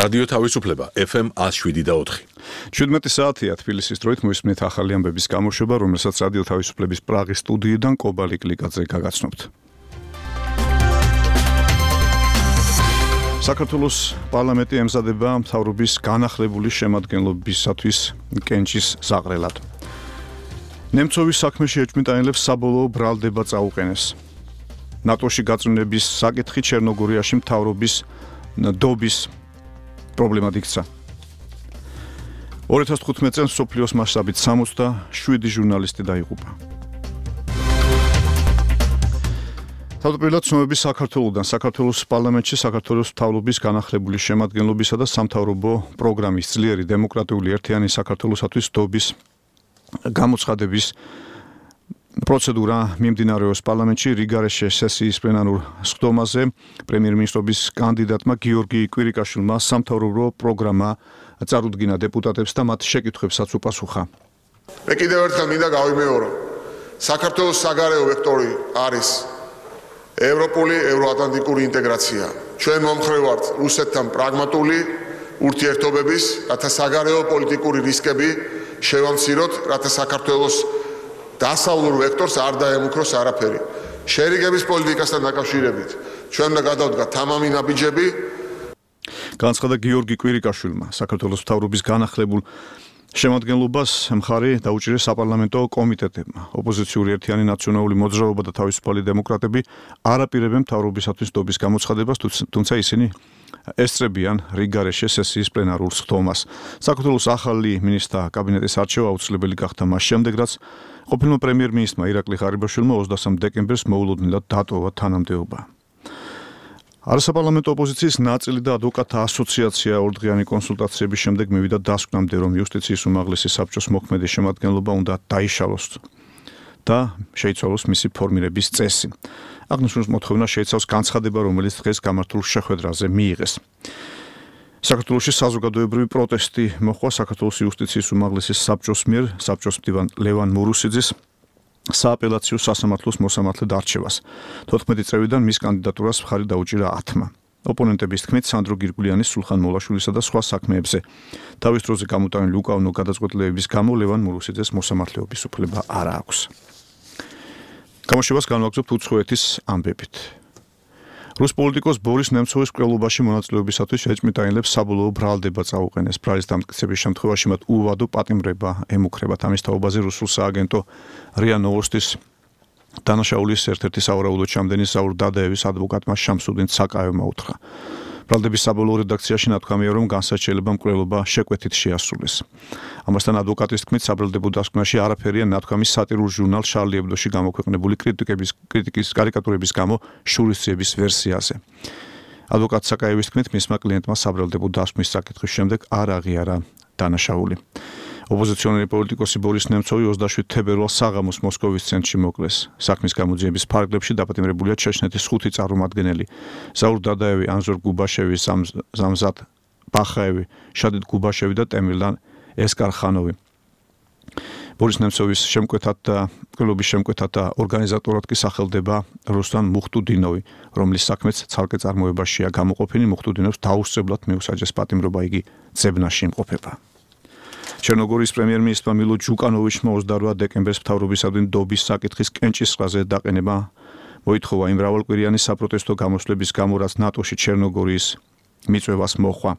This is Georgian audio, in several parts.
რადიო თავისუფლება FM 107.4. 17 საათია თბილისის დროით მოისმენთ ახალი ამბების გამოშვება, რომელსაც რადიო თავისუფლების პრაღის სტუდიიდან კობალი კლიკაძე გაგაცნობთ. საქართველოს პარლამენტი ემზადება მთავრობის განახლებული შემადგენლობისათვის კენჭის ზაღრელად. ნემცოვის საქმეში ეჭვმიტანილებს საბოლოო ბრალდება წაუყენეს. ნატოში გაწმენდების საკითხი ჩერნოგორიაში მთავრობის დობის პრობლემად იქცა. 2015 წელს მსოფლიოს მასშტაბით 67 ჟურნალისტი დაიღუპა. თავდაპირველად ცნობები საქართველოს პარლამენტში საქართველოს მთავრობის განახლებული შემადგენლობისა და სამთავრობო პროგრამის ძლიერი დემოკრატიული ერთიანი საქართველოსათვის დობის გამოცხადების პროცედურა მიმდინარეობს პარლამენტში რიგარეშე სესიის პლენარულ სხდომაზე. პრემიერ-მინისტრობის კანდიდატმა გიორგი კვირიკაშვილმა სამთავრობო პროგრამა წარუდგინა დეპუტატებს და მათ შეკითხვებსაც უპასუხა. მე კიდევ ერთხელ მინდა გავიმეორო, საქართველოს საგარეო ვექტორი არის ევროპული, ევროატლანტიკური ინტეგრაცია. ჩვენ მომხრე ვართ რუსეთთან პრაგმატული ურთიერთობების, რათა საგარეო პოლიტიკური რისკები შევამციროთ, რათა საქართველოს დასავლურ ვექტორს არ დაემუქროს არაფერი. შერიგების პოლიტიკასთან დაკავშირებით ჩვენ უნდა გადავდგათ თამამი ნაბიჯები. განაცხადა გიორგი კვირიკაშვილმა. საქართველოს მთავრობის განახლებულ შემადგენლობას მხარი დაუჭირეს საპარლამენტო კომიტეტებმა. ოპოზიციური ერთიანი ნაციონალური მოძრაობა და თავისუფალი დემოკრატები არაპირებენ მთავრობისათვის დობის გამოცხადებას, თუმცა ისინი ესწრებიან რიგარეშე სესიის პლენარულ სხდომას. საქართველოს ახალი მინისტრთა კაბინეტის არჩევა აუცილებელი გახდა მას შემდეგ, რაც ყოფილმა პრემიერ-მინისტრმა ირაკლი ღარიბაშვილმა 23 დეკემბერს მოულოდნელად დატოვა თანამდებობა. არასაპარლამენტო ოპოზიციის ნაწილი და ადვოკატთა ასოციაცია ორდღიანი კონსულტაციების შემდეგ მივიდა დასკვნამდე, რომ იუსტიციის უმაღლესი საბჭოს მოქმედი შემადგენლობა უნდა დაიშალოს და შეიცვალოს მისი ფორმირების წესი. აღნიშნულ მოთხოვნა შეიცავს განცხადება, რომელიც დღეს გამართულ შეხვედრაზე მიიღეს. საქართველოში საზოგადოებრივი პროტესტი მოხდა საქართველოს იუსტიციის უმაღლესი საბჭოს მიერ საბჭოს მდივან ლევან მურუსიძის სააპელაციო სასამართლოს მოსამართლედ არჩევას. 14 წლიდან მის კანდიდატურას მხარი დაუჭირა 10-მა. ოპონენტების თქმით, სანდრო გირგულიანის, სულხან მოლაშვილისა და სხვა საქმეებზე თავის დროზე გამოტანილი უკანონო გადაწყვეტილებების გამო ლევან მურუსიძეს მოსამართლეობის უფლება არ აქვს. გამოშვებას განვაგრძობთ უცხოეთის ამბებით. რუს პოლიტიკოს ბორის ნემცოვის მკვლელობაში მონაწილეობისათვის ეჭვმიტანილებს საბოლოო ბრალდება წაუყენეს. ბრალის დამტკიცების შემთხვევაში მათ უვადო პატიმრება ემუქრებათ. ამის თაობაზე რუსულ სააგენტო რია ნოვოსტის დანაშაულის ერთ-ერთი სავარაუდო ჩამდენი საურ დადაევის ადვოკატმა შამსუდინ ცაკაევმა უთხრა. ბრალდების საბოლოო რედაქციაში ნათქვამია, რომ განსაჩივრება მკვლელობა შეკვეთით შეასრულეს. ამასთან ადვოკატის თქმით, საბრალდებო დასკვნაში არაფერია ნათქვამის სატირულ ჟურნალ შარლი ებდოში გამოქვეყნებული კრიტიკის კარიკატურების გამო შურისძიების ვერსიაზე. ადვოკატ ცაკაევის თქმით, მისმა კლიენტმა საბრალდებო დასკვნის საკითხის შემდეგ არ აღიარა დანაშაული. ოპოზიციონერი პოლიტიკოსი ბორის ნემცოვი 27 თებერვალს საღამოს მოსკოვის ცენტრში მოკლეს. საქმის გამოძიების ფარგლებში დაპატიმრებულია ჩეჩნეთის 5 წარმომადგენელი: ზაურ დადაევი, ანზორ გუბაშევი, ზამზად ბახაევი, შადიდ გუბაშევი და ტემირლან ესკარხანოვი. ბორის ნემცოვის შემკვეთად და მკვლელობის შემკვეთად და ორგანიზატორად კი სახელდება რუსლან მუხტუდინოვი, რომლის საქმეც ცალკე წარმოებაშია გამოყოფილი. მუხტუდინოვს დაუსწრებლად მიუსაჯეს პატიმრობა, იგი ძებნაში იმყოფება. ჩერნოგორიის პრემიერ-მინისტრმა მილო ჯუკანოვიჩმა 28 დეკემბერს მთავრობისადმი დობის საკითხის კენჭისყრაზე დაყენება მოითხოვა იმ მრავალკვირიანი საპროტესტო გამოსვლების გამო, რაც ნატოში ჩერნოგორიის მიწვევას მოჰყვა.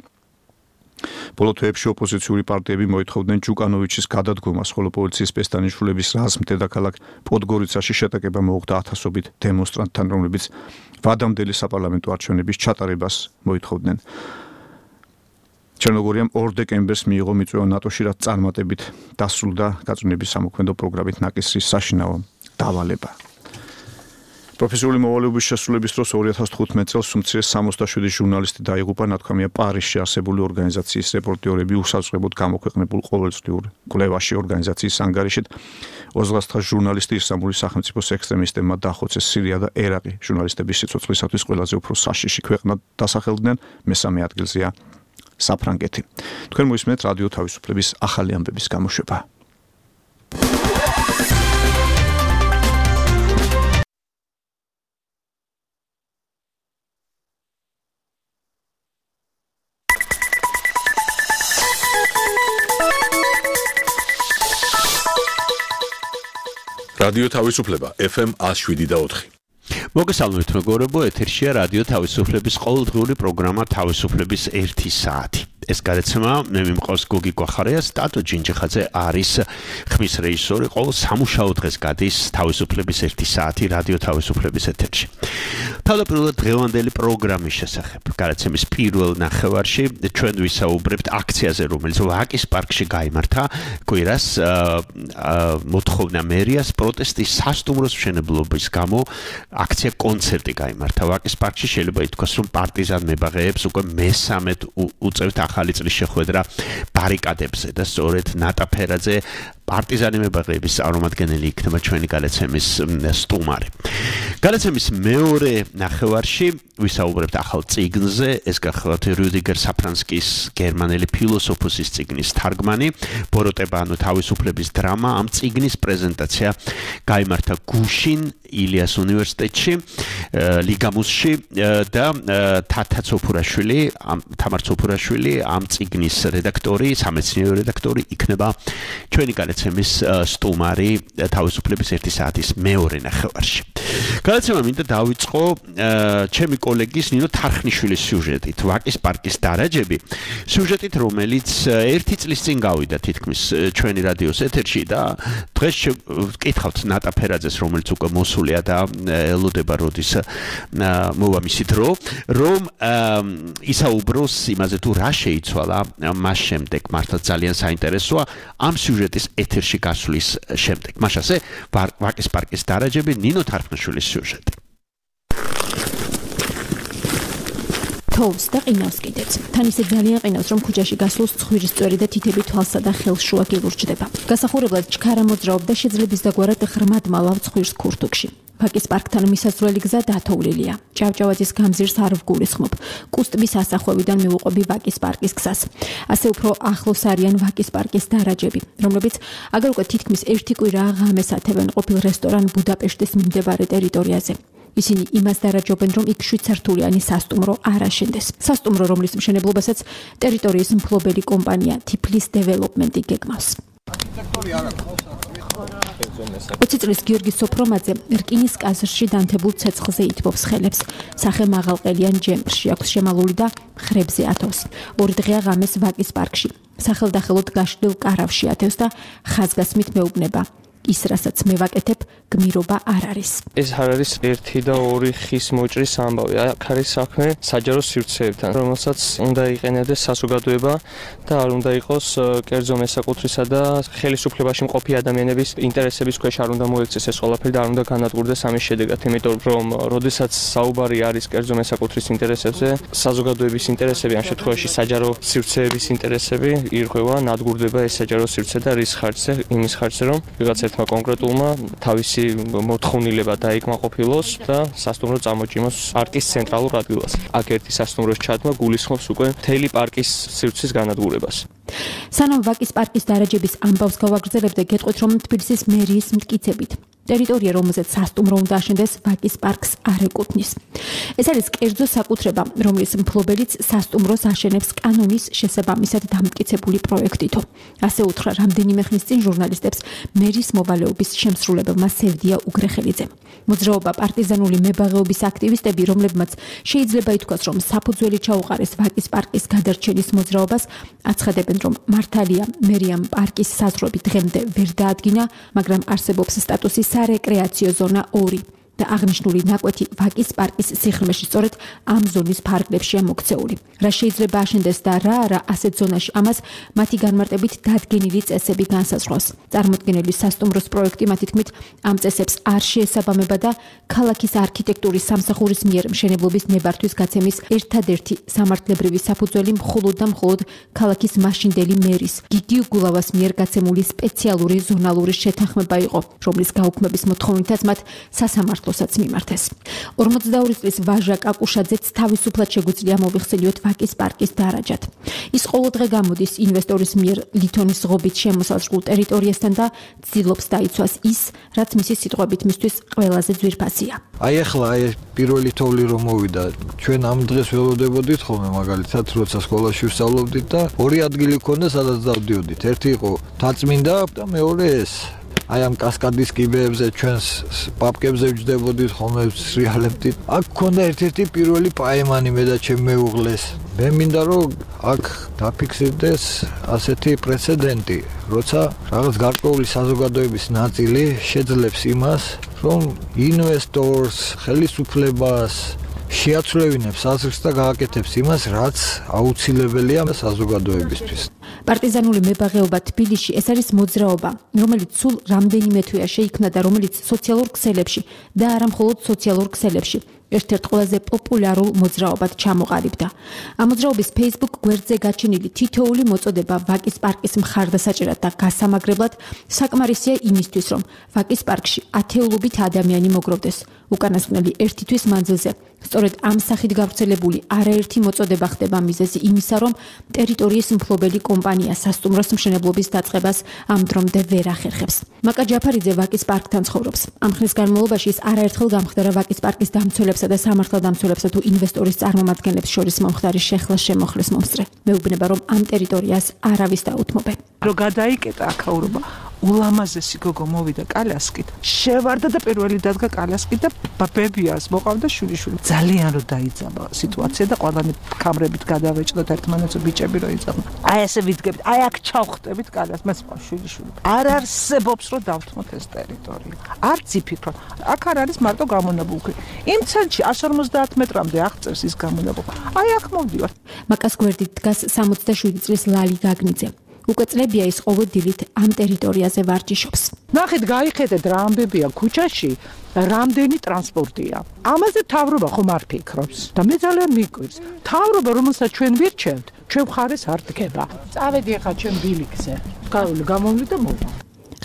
ბოლო თვეებში ოპოზიციური პარტიები მოითხოვდნენ ჯუკანოვიჩის გადადგომას, ხოლო პოლიციის პესტანიშვილების რაზმ დედაქალაქ პოდგორიცაში შეტაკება მოუხდა ათასობით დემონსტრანტთან, რომლებიც ვადამდელი საპარლამენტო არჩევნების ჩატარებას მოითხოვდნენ. ჩერნოგორიამ 2 დეკემბერს მიიღო მიწვევა ნატოში, რაც წარმატებით დასრულდა გაწმენდების სამოქმედო პროგრამით ნაკისრის საშინაო დავალება. პროფესიული მოვალეობის შესრულების დროს 2015 წელს უმცირეს 67 ჟურნალისტი დაიღუპა. ნათქვამია პარიზში არსებული ორგანიზაციის რეპორტიორები უსაწყებოდ გამოქვეყნებულ ყოველწლიურ კვლევაში ორგანიზაციის ანგარიშით 29 ჟურნალისტი ისლამური სახელმწიფოს ექსტრემისტებმა დახოცეს. სირია და ერაყი ჟურნალისტების სიცოცხლისათვის ყველაზე უფრო საშიში ქვეყნად დასახელდნენ, მესამე ადგილზეა საფრანგეთი. თქვენ მოისმენთ რადიო თავისუფლების ახალი ამბების გამოშვება. რადიო თავისუფლება FM 107.4. მოგესალმებით მეგობრებო, ეთერშია რადიო თავისუფლების ყოველდღიური პროგრამა თავისუფლების 1 საათი. ეს გადაცემა მე მიმყავს გოგი გვახარია, სტატო ჯინჯიხაძე არის ხმის რეჟისორი, ყოველ სამუშაო დღეს გადის თავისუფლების 1 საათი რადიო თავისუფლების ეთერში. თავდაპირველად დღევანდელი პროგრამის შესახებ გადაცემის პირველ ნახევარში ჩვენ ვისაუბრებთ აქციაზე, რომელიც ვაკის პარკში გაიმართა კვირას მოთხოვნა მერიას პროტესტის სასტუმროს მშენებლობის გამო აქცია კონცერტი გაიმართა ვაკის პარკში. შეიძლება ითქვას, რომ პარტიზან მებაღეებს უკვე მესამედ უწევთ ახალი წლის შეხვედრა ბარიკადებზე და სწორედ ნატა ფერაძე პარტიზანი მებაღეების წარმომადგენელი იქნება ჩვენი გადაცემის სტუმარი. გადაცემის მეორე ნახევარში ვისაუბრებთ ახალ წიგნზე, ეს გახლავთ რუდიგერ საფრანსკის გერმანელი ფილოსოფოსის წიგნის თარგმანი ბოროტება ანუ თავისუფლების დრამა. ამ წიგნის პრეზენტაცია გაიმართა გუშინ ილიას უნივერსიტეტში ლიგამუსში და თამარ ცოფურაშვილი ამ წიგნის რედაქტორი, სამეცნიერო რედაქტორი იქნება ჩვენი გადაცემის სტუმარი თავისუფლების 1 საათის მეორე ნახევარში. გადაცემა მინდა დავიწყო ჩემი კოლეგის ნინო თარხნიშვილის სიუჟეტით, ვაკის პარკის დარაჯები, სიუჟეტით, რომელიც 1 წლის წინ გავიდა თითქმის ჩვენი რადიოს ეთერში და დღეს ვკითხავთ ნატა ფერაძეს, რომელიც უკვე მოსულია და ელოდება როდის მოვა მისი დრო, რომ ისაუბროს იმაზე თუ რა შეიცვალა მას შემდეგ. მართლა ძალიან საინტერესოა ამ სიუჟეტის ეთერში გასვლის შემდეგ. მაშასე ვაკის პარკის დარაჯები, ნინო თარხნიშვილის სიუჟეტი. თოვს და ყინავს კიდეც. თან ისე ძალიან ყინავს, რომ ქუჩაში გასულს ცხვირის წვერი და თითები თვალსა და ხელს შუა გილურჯდება. გასახურებლად ჩქარა მოძრაობ და შეძლების დაგვარად ხრმად მალავ ცხვირს ქურთუქში. ვაკის პარკთან მისასვლელი გზა დათოვლილია. ჭავჭავაძის გამზირს არ ვგულისხმობ. კუსტბის ასახვევიდან მივუყვები ვაკის პარკის გზას. ასე უფრო ახლოს არიან ვაკის პარკის დარაჯები, რომლებიც აგერ უკვე თითქმის 1 კვირა ღამეს ათევენ ყოფილ რესტორან ბუდაპეშტის მიმდებარე ტერიტორიაზე. ისინი იმას დარაჯობენ, რომ იქ 7 სართულიანი სასტუმრო არ აშენდეს. სასტუმრო, რომლის მშენებლობასაც ტერიტორიის მფლობელი კომპანია თიფლის დეველოპმენტი გეგმავს. 20 წლის გიორგი სოფრომაძე რკინის კაზრში დანთებულ ცეცხლზე ითბობს ხელებს. სახე მაღალყელიან ჯემპრში აქვს შემალული და ხრებზე ათავს. 2 დღეა ღამეს ვაკის პარკში. სახელდახელოდ გაშლილ კარავში ათევს და ხაზგასმით მეუბნება. ის, რასაც მე ვაკეთებ, გმირობა არ არის. ეს არ არის 1 და 2 ხის მოჭრის ამბავი. აქ არის საქმე საჯარო სივრცეებთან, რომელსაც უნდა იყენებდეს საზოგადოება და არ უნდა იყოს კერძო მესაკუთრისა და ხელისუფლებაში მყოფი ადამიანების ინტერესების ქვეშ არ უნდა მოექცეს ეს ყველაფერი და არ უნდა განადგურდეს ამის შედეგად, იმიტომ რომ როდესაც საუბარი არის კერძო მესაკუთრის ინტერესებზე, საზოგადოების ინტერესები, ამ შემთხვევაში საჯარო სივრცეების ინტერესები ირღვევა, ნადგურდება ეს საჯარო სივრცე და რის ხარჯზე? იმის ხარჯზე, რომ ვიღაცა კონკრეტულმა თავისი მოთხოვნილება დაიკმაყოფილოს და სასტუმრო წამოჭიმოს პარკის ცენტრალურ ადგილას. აქ ერთი სასტუმროს ჩადმა გულისხმობს უკვე მთელი პარკის სივრცის განადგურებას. სანამ ვაკის პარკის დარაჯების ამბავს გავაგრძელებთ და გეტყვით, რომ თბილისის მერიის მტკიცებით ტერიტორია, რომელზეც სასტუმრო უნდა აშენდეს, ვაკის პარკს არ ეკუთვნის. ეს არის კერძო საკუთრება, რომლის მფლობელიც სასტუმროს აშენებს კანონის შესაბამისად დამტკიცებული პროექტითო. ასე უთხრა რამდენიმე ხნის წინ ჟურნალისტებს მერის მოვალეობის შემსრულებელმა სევდია უგრეხელიძემ. მოძრაობა პარტიზანული მებაღეობის აქტივისტები, რომლებმაც შეიძლება ითქვას, რომ საფუძველი ჩაუყარეს ვაკის პარკის გადარჩენის მოძრაობას, აცხადებენ, რომ მართალია მერიამ პარკის საზღვრები დღემდე ვერ დაადგინა, მაგრამ არსებობს სტატუსი სარეკრეაციო ზონა 2 და აღნიშნული ნაკვეთი ვაკის პარკის სიღრმეში სწორედ ამ ზონის ფარგლებშია მოქცეული. რა შეიძლება აშენდეს და რა არა ასეთ ზონაში, ამას მათი განმარტებით დადგენილი წესები განსაზღვრავს. წარმოქმნილი სასტუმროს პროექტი მათი თქმით ამ წესებს არ შეესაბამება და ქალაქის არქიტექტურის სამსახურის მიერ მშენებლობის ნებართვის გაცემის ერთადერთი სამართლებრივი საფუძველი მხოლოდ და მხოლოდ ქალაქის მაშინდელი მერის გიგი გულავას მიერ გაცემული სპეციალური ზონალური შეთანხმება იყო, რომლის გაუქმების მოთხოვნითაც მათ სასამართლოსაც მიმართეს. 42 წლის ვაჟა კაკუშაძეც თავისუფლად შეგვიძლია მოვიხსენიოთ ვაკის პარკის დარაჯად. ის ყოველდღე გამოდის ინვესტორის მიერ ლითონის ღობით შემოსაზღვრულ ტერიტორიასთან და ცდილობს დაიცვას ის, რაც მისი სიტყვებით მისთვის ყველაზე ძვირფასია. აი ახლა პირველი თოვლი რომ მოვიდა, ჩვენ ამ დღეს ველოდებოდით ხოლმე მაგალითად, როცა სკოლაში ვსწავლობდით და ორი ადგილი ქონდა, სადაც დავდიოდით. ერთი იყო თაწმინდა და მეორე ეს აი ამ კასკადის კიბეებზე ჩვენს პაპკებზე ვჯდებოდით ხოლმე სრიალებდით. აქ ქონდა ერთ-ერთი პირველი პაემანი მე და ჩემ მეუღლეს. მე მინდა რომ აქ დაფიქსირდეს ასეთი პრეცედენტი, როცა რაღაც გარკვეული საზოგადოების ნაწილი შეძლებს იმას, რომ ინვესტორს, ხელისუფლებას შეაცვლევინებს აზრს და გააკეთებს იმას, რაც აუცილებელია საზოგადოებისთვის. პარტიზანული მებაღეობა თბილისში ეს არის მოძრაობა, რომელიც სულ რამდენიმე თვეა შეიქმნა და რომელიც სოციალურ ქსელებში და არა მხოლოდ სოციალურ ქსელებში ერთ-ერთ ყველაზე პოპულარულ მოძრაობად ჩამოყალიბდა. ამ მოძრაობის Facebook გვერდზე გაჩენილი თითოეული მოწოდება ვაკის პარკის მხარდასაჭერად და გასამაგრებლად საკმარისია იმისთვის, რომ ვაკის პარკში ათეულობით ადამიანი მოგროვდეს. უკანასკნელი ერთი თვის მანძილზე სწორედ ამ სახით გავრცელებული არაერთი მოწოდება ხდება მიზეზი იმისა, რომ ტერიტორიის მფლობელი კომპანია სასტუმროს მშენებლობის დაწყებას ამ დრომდე ვერ ახერხებს. მაკა ჯაფარიძე ვაკის პარკთან ცხოვრობს. ამ ხნის განმავლობაში ის არაერთხელ გამხდარა ვაკის პარკის დამცველებსა და სამართალდამცველებსა თუ ინვესტორის წარმომადგენლებს შორის მომხდარი შეხლა-შემოხლის მომსწრე. მეუბნება, რომ ამ ტერიტორიას არავის დაუთმობენ. რო გადაიკეტა აქაურობა ულამაზესი გოგო მოვიდა კალასკით, შევარდა და პირველი დადგა კალასკით და ბებიას მოყავდა შვილიშვილი. ძალიან რო დაიძაბა სიტუაცია და ყველანი კამრებით გადავეჭდოთ ერთმანეთს ბიჭები რო იწამო. აი ესე ვიდგებით, აი აქ ჩავხტებით კალას, მას შვილიშვილი. არ არსებობს რომ დავთმოთ ეს ტერიტორია. არც იფიქროთ. აქ არ არის მარტო გამონაბოლქვი. იმ ცენტრში 150 მეტრამდე აღწევს ის გამონაბოლქვი. აი აქ მოვდივართ. მაკას გვერდით დგას 67 წლის ლალი გაგნიძე. უკვე წლებია ის ყოველ დილით ამ ტერიტორიაზე ვარჯიშობს. ნახეთ, გაიხედეთ რა ამბებია ქუჩაში, რამდენი ტრანსპორტია. ამაზე მთავრობა ხომ არ ფიქრობს და მე ძალიან მიკვირს. მთავრობა, რომელსაც ჩვენ ვირჩევთ, ჩვენ მხარეს არ დგება. წავედი ახლა ჩვენ ბილიქზე. გამოვლი და მოვა.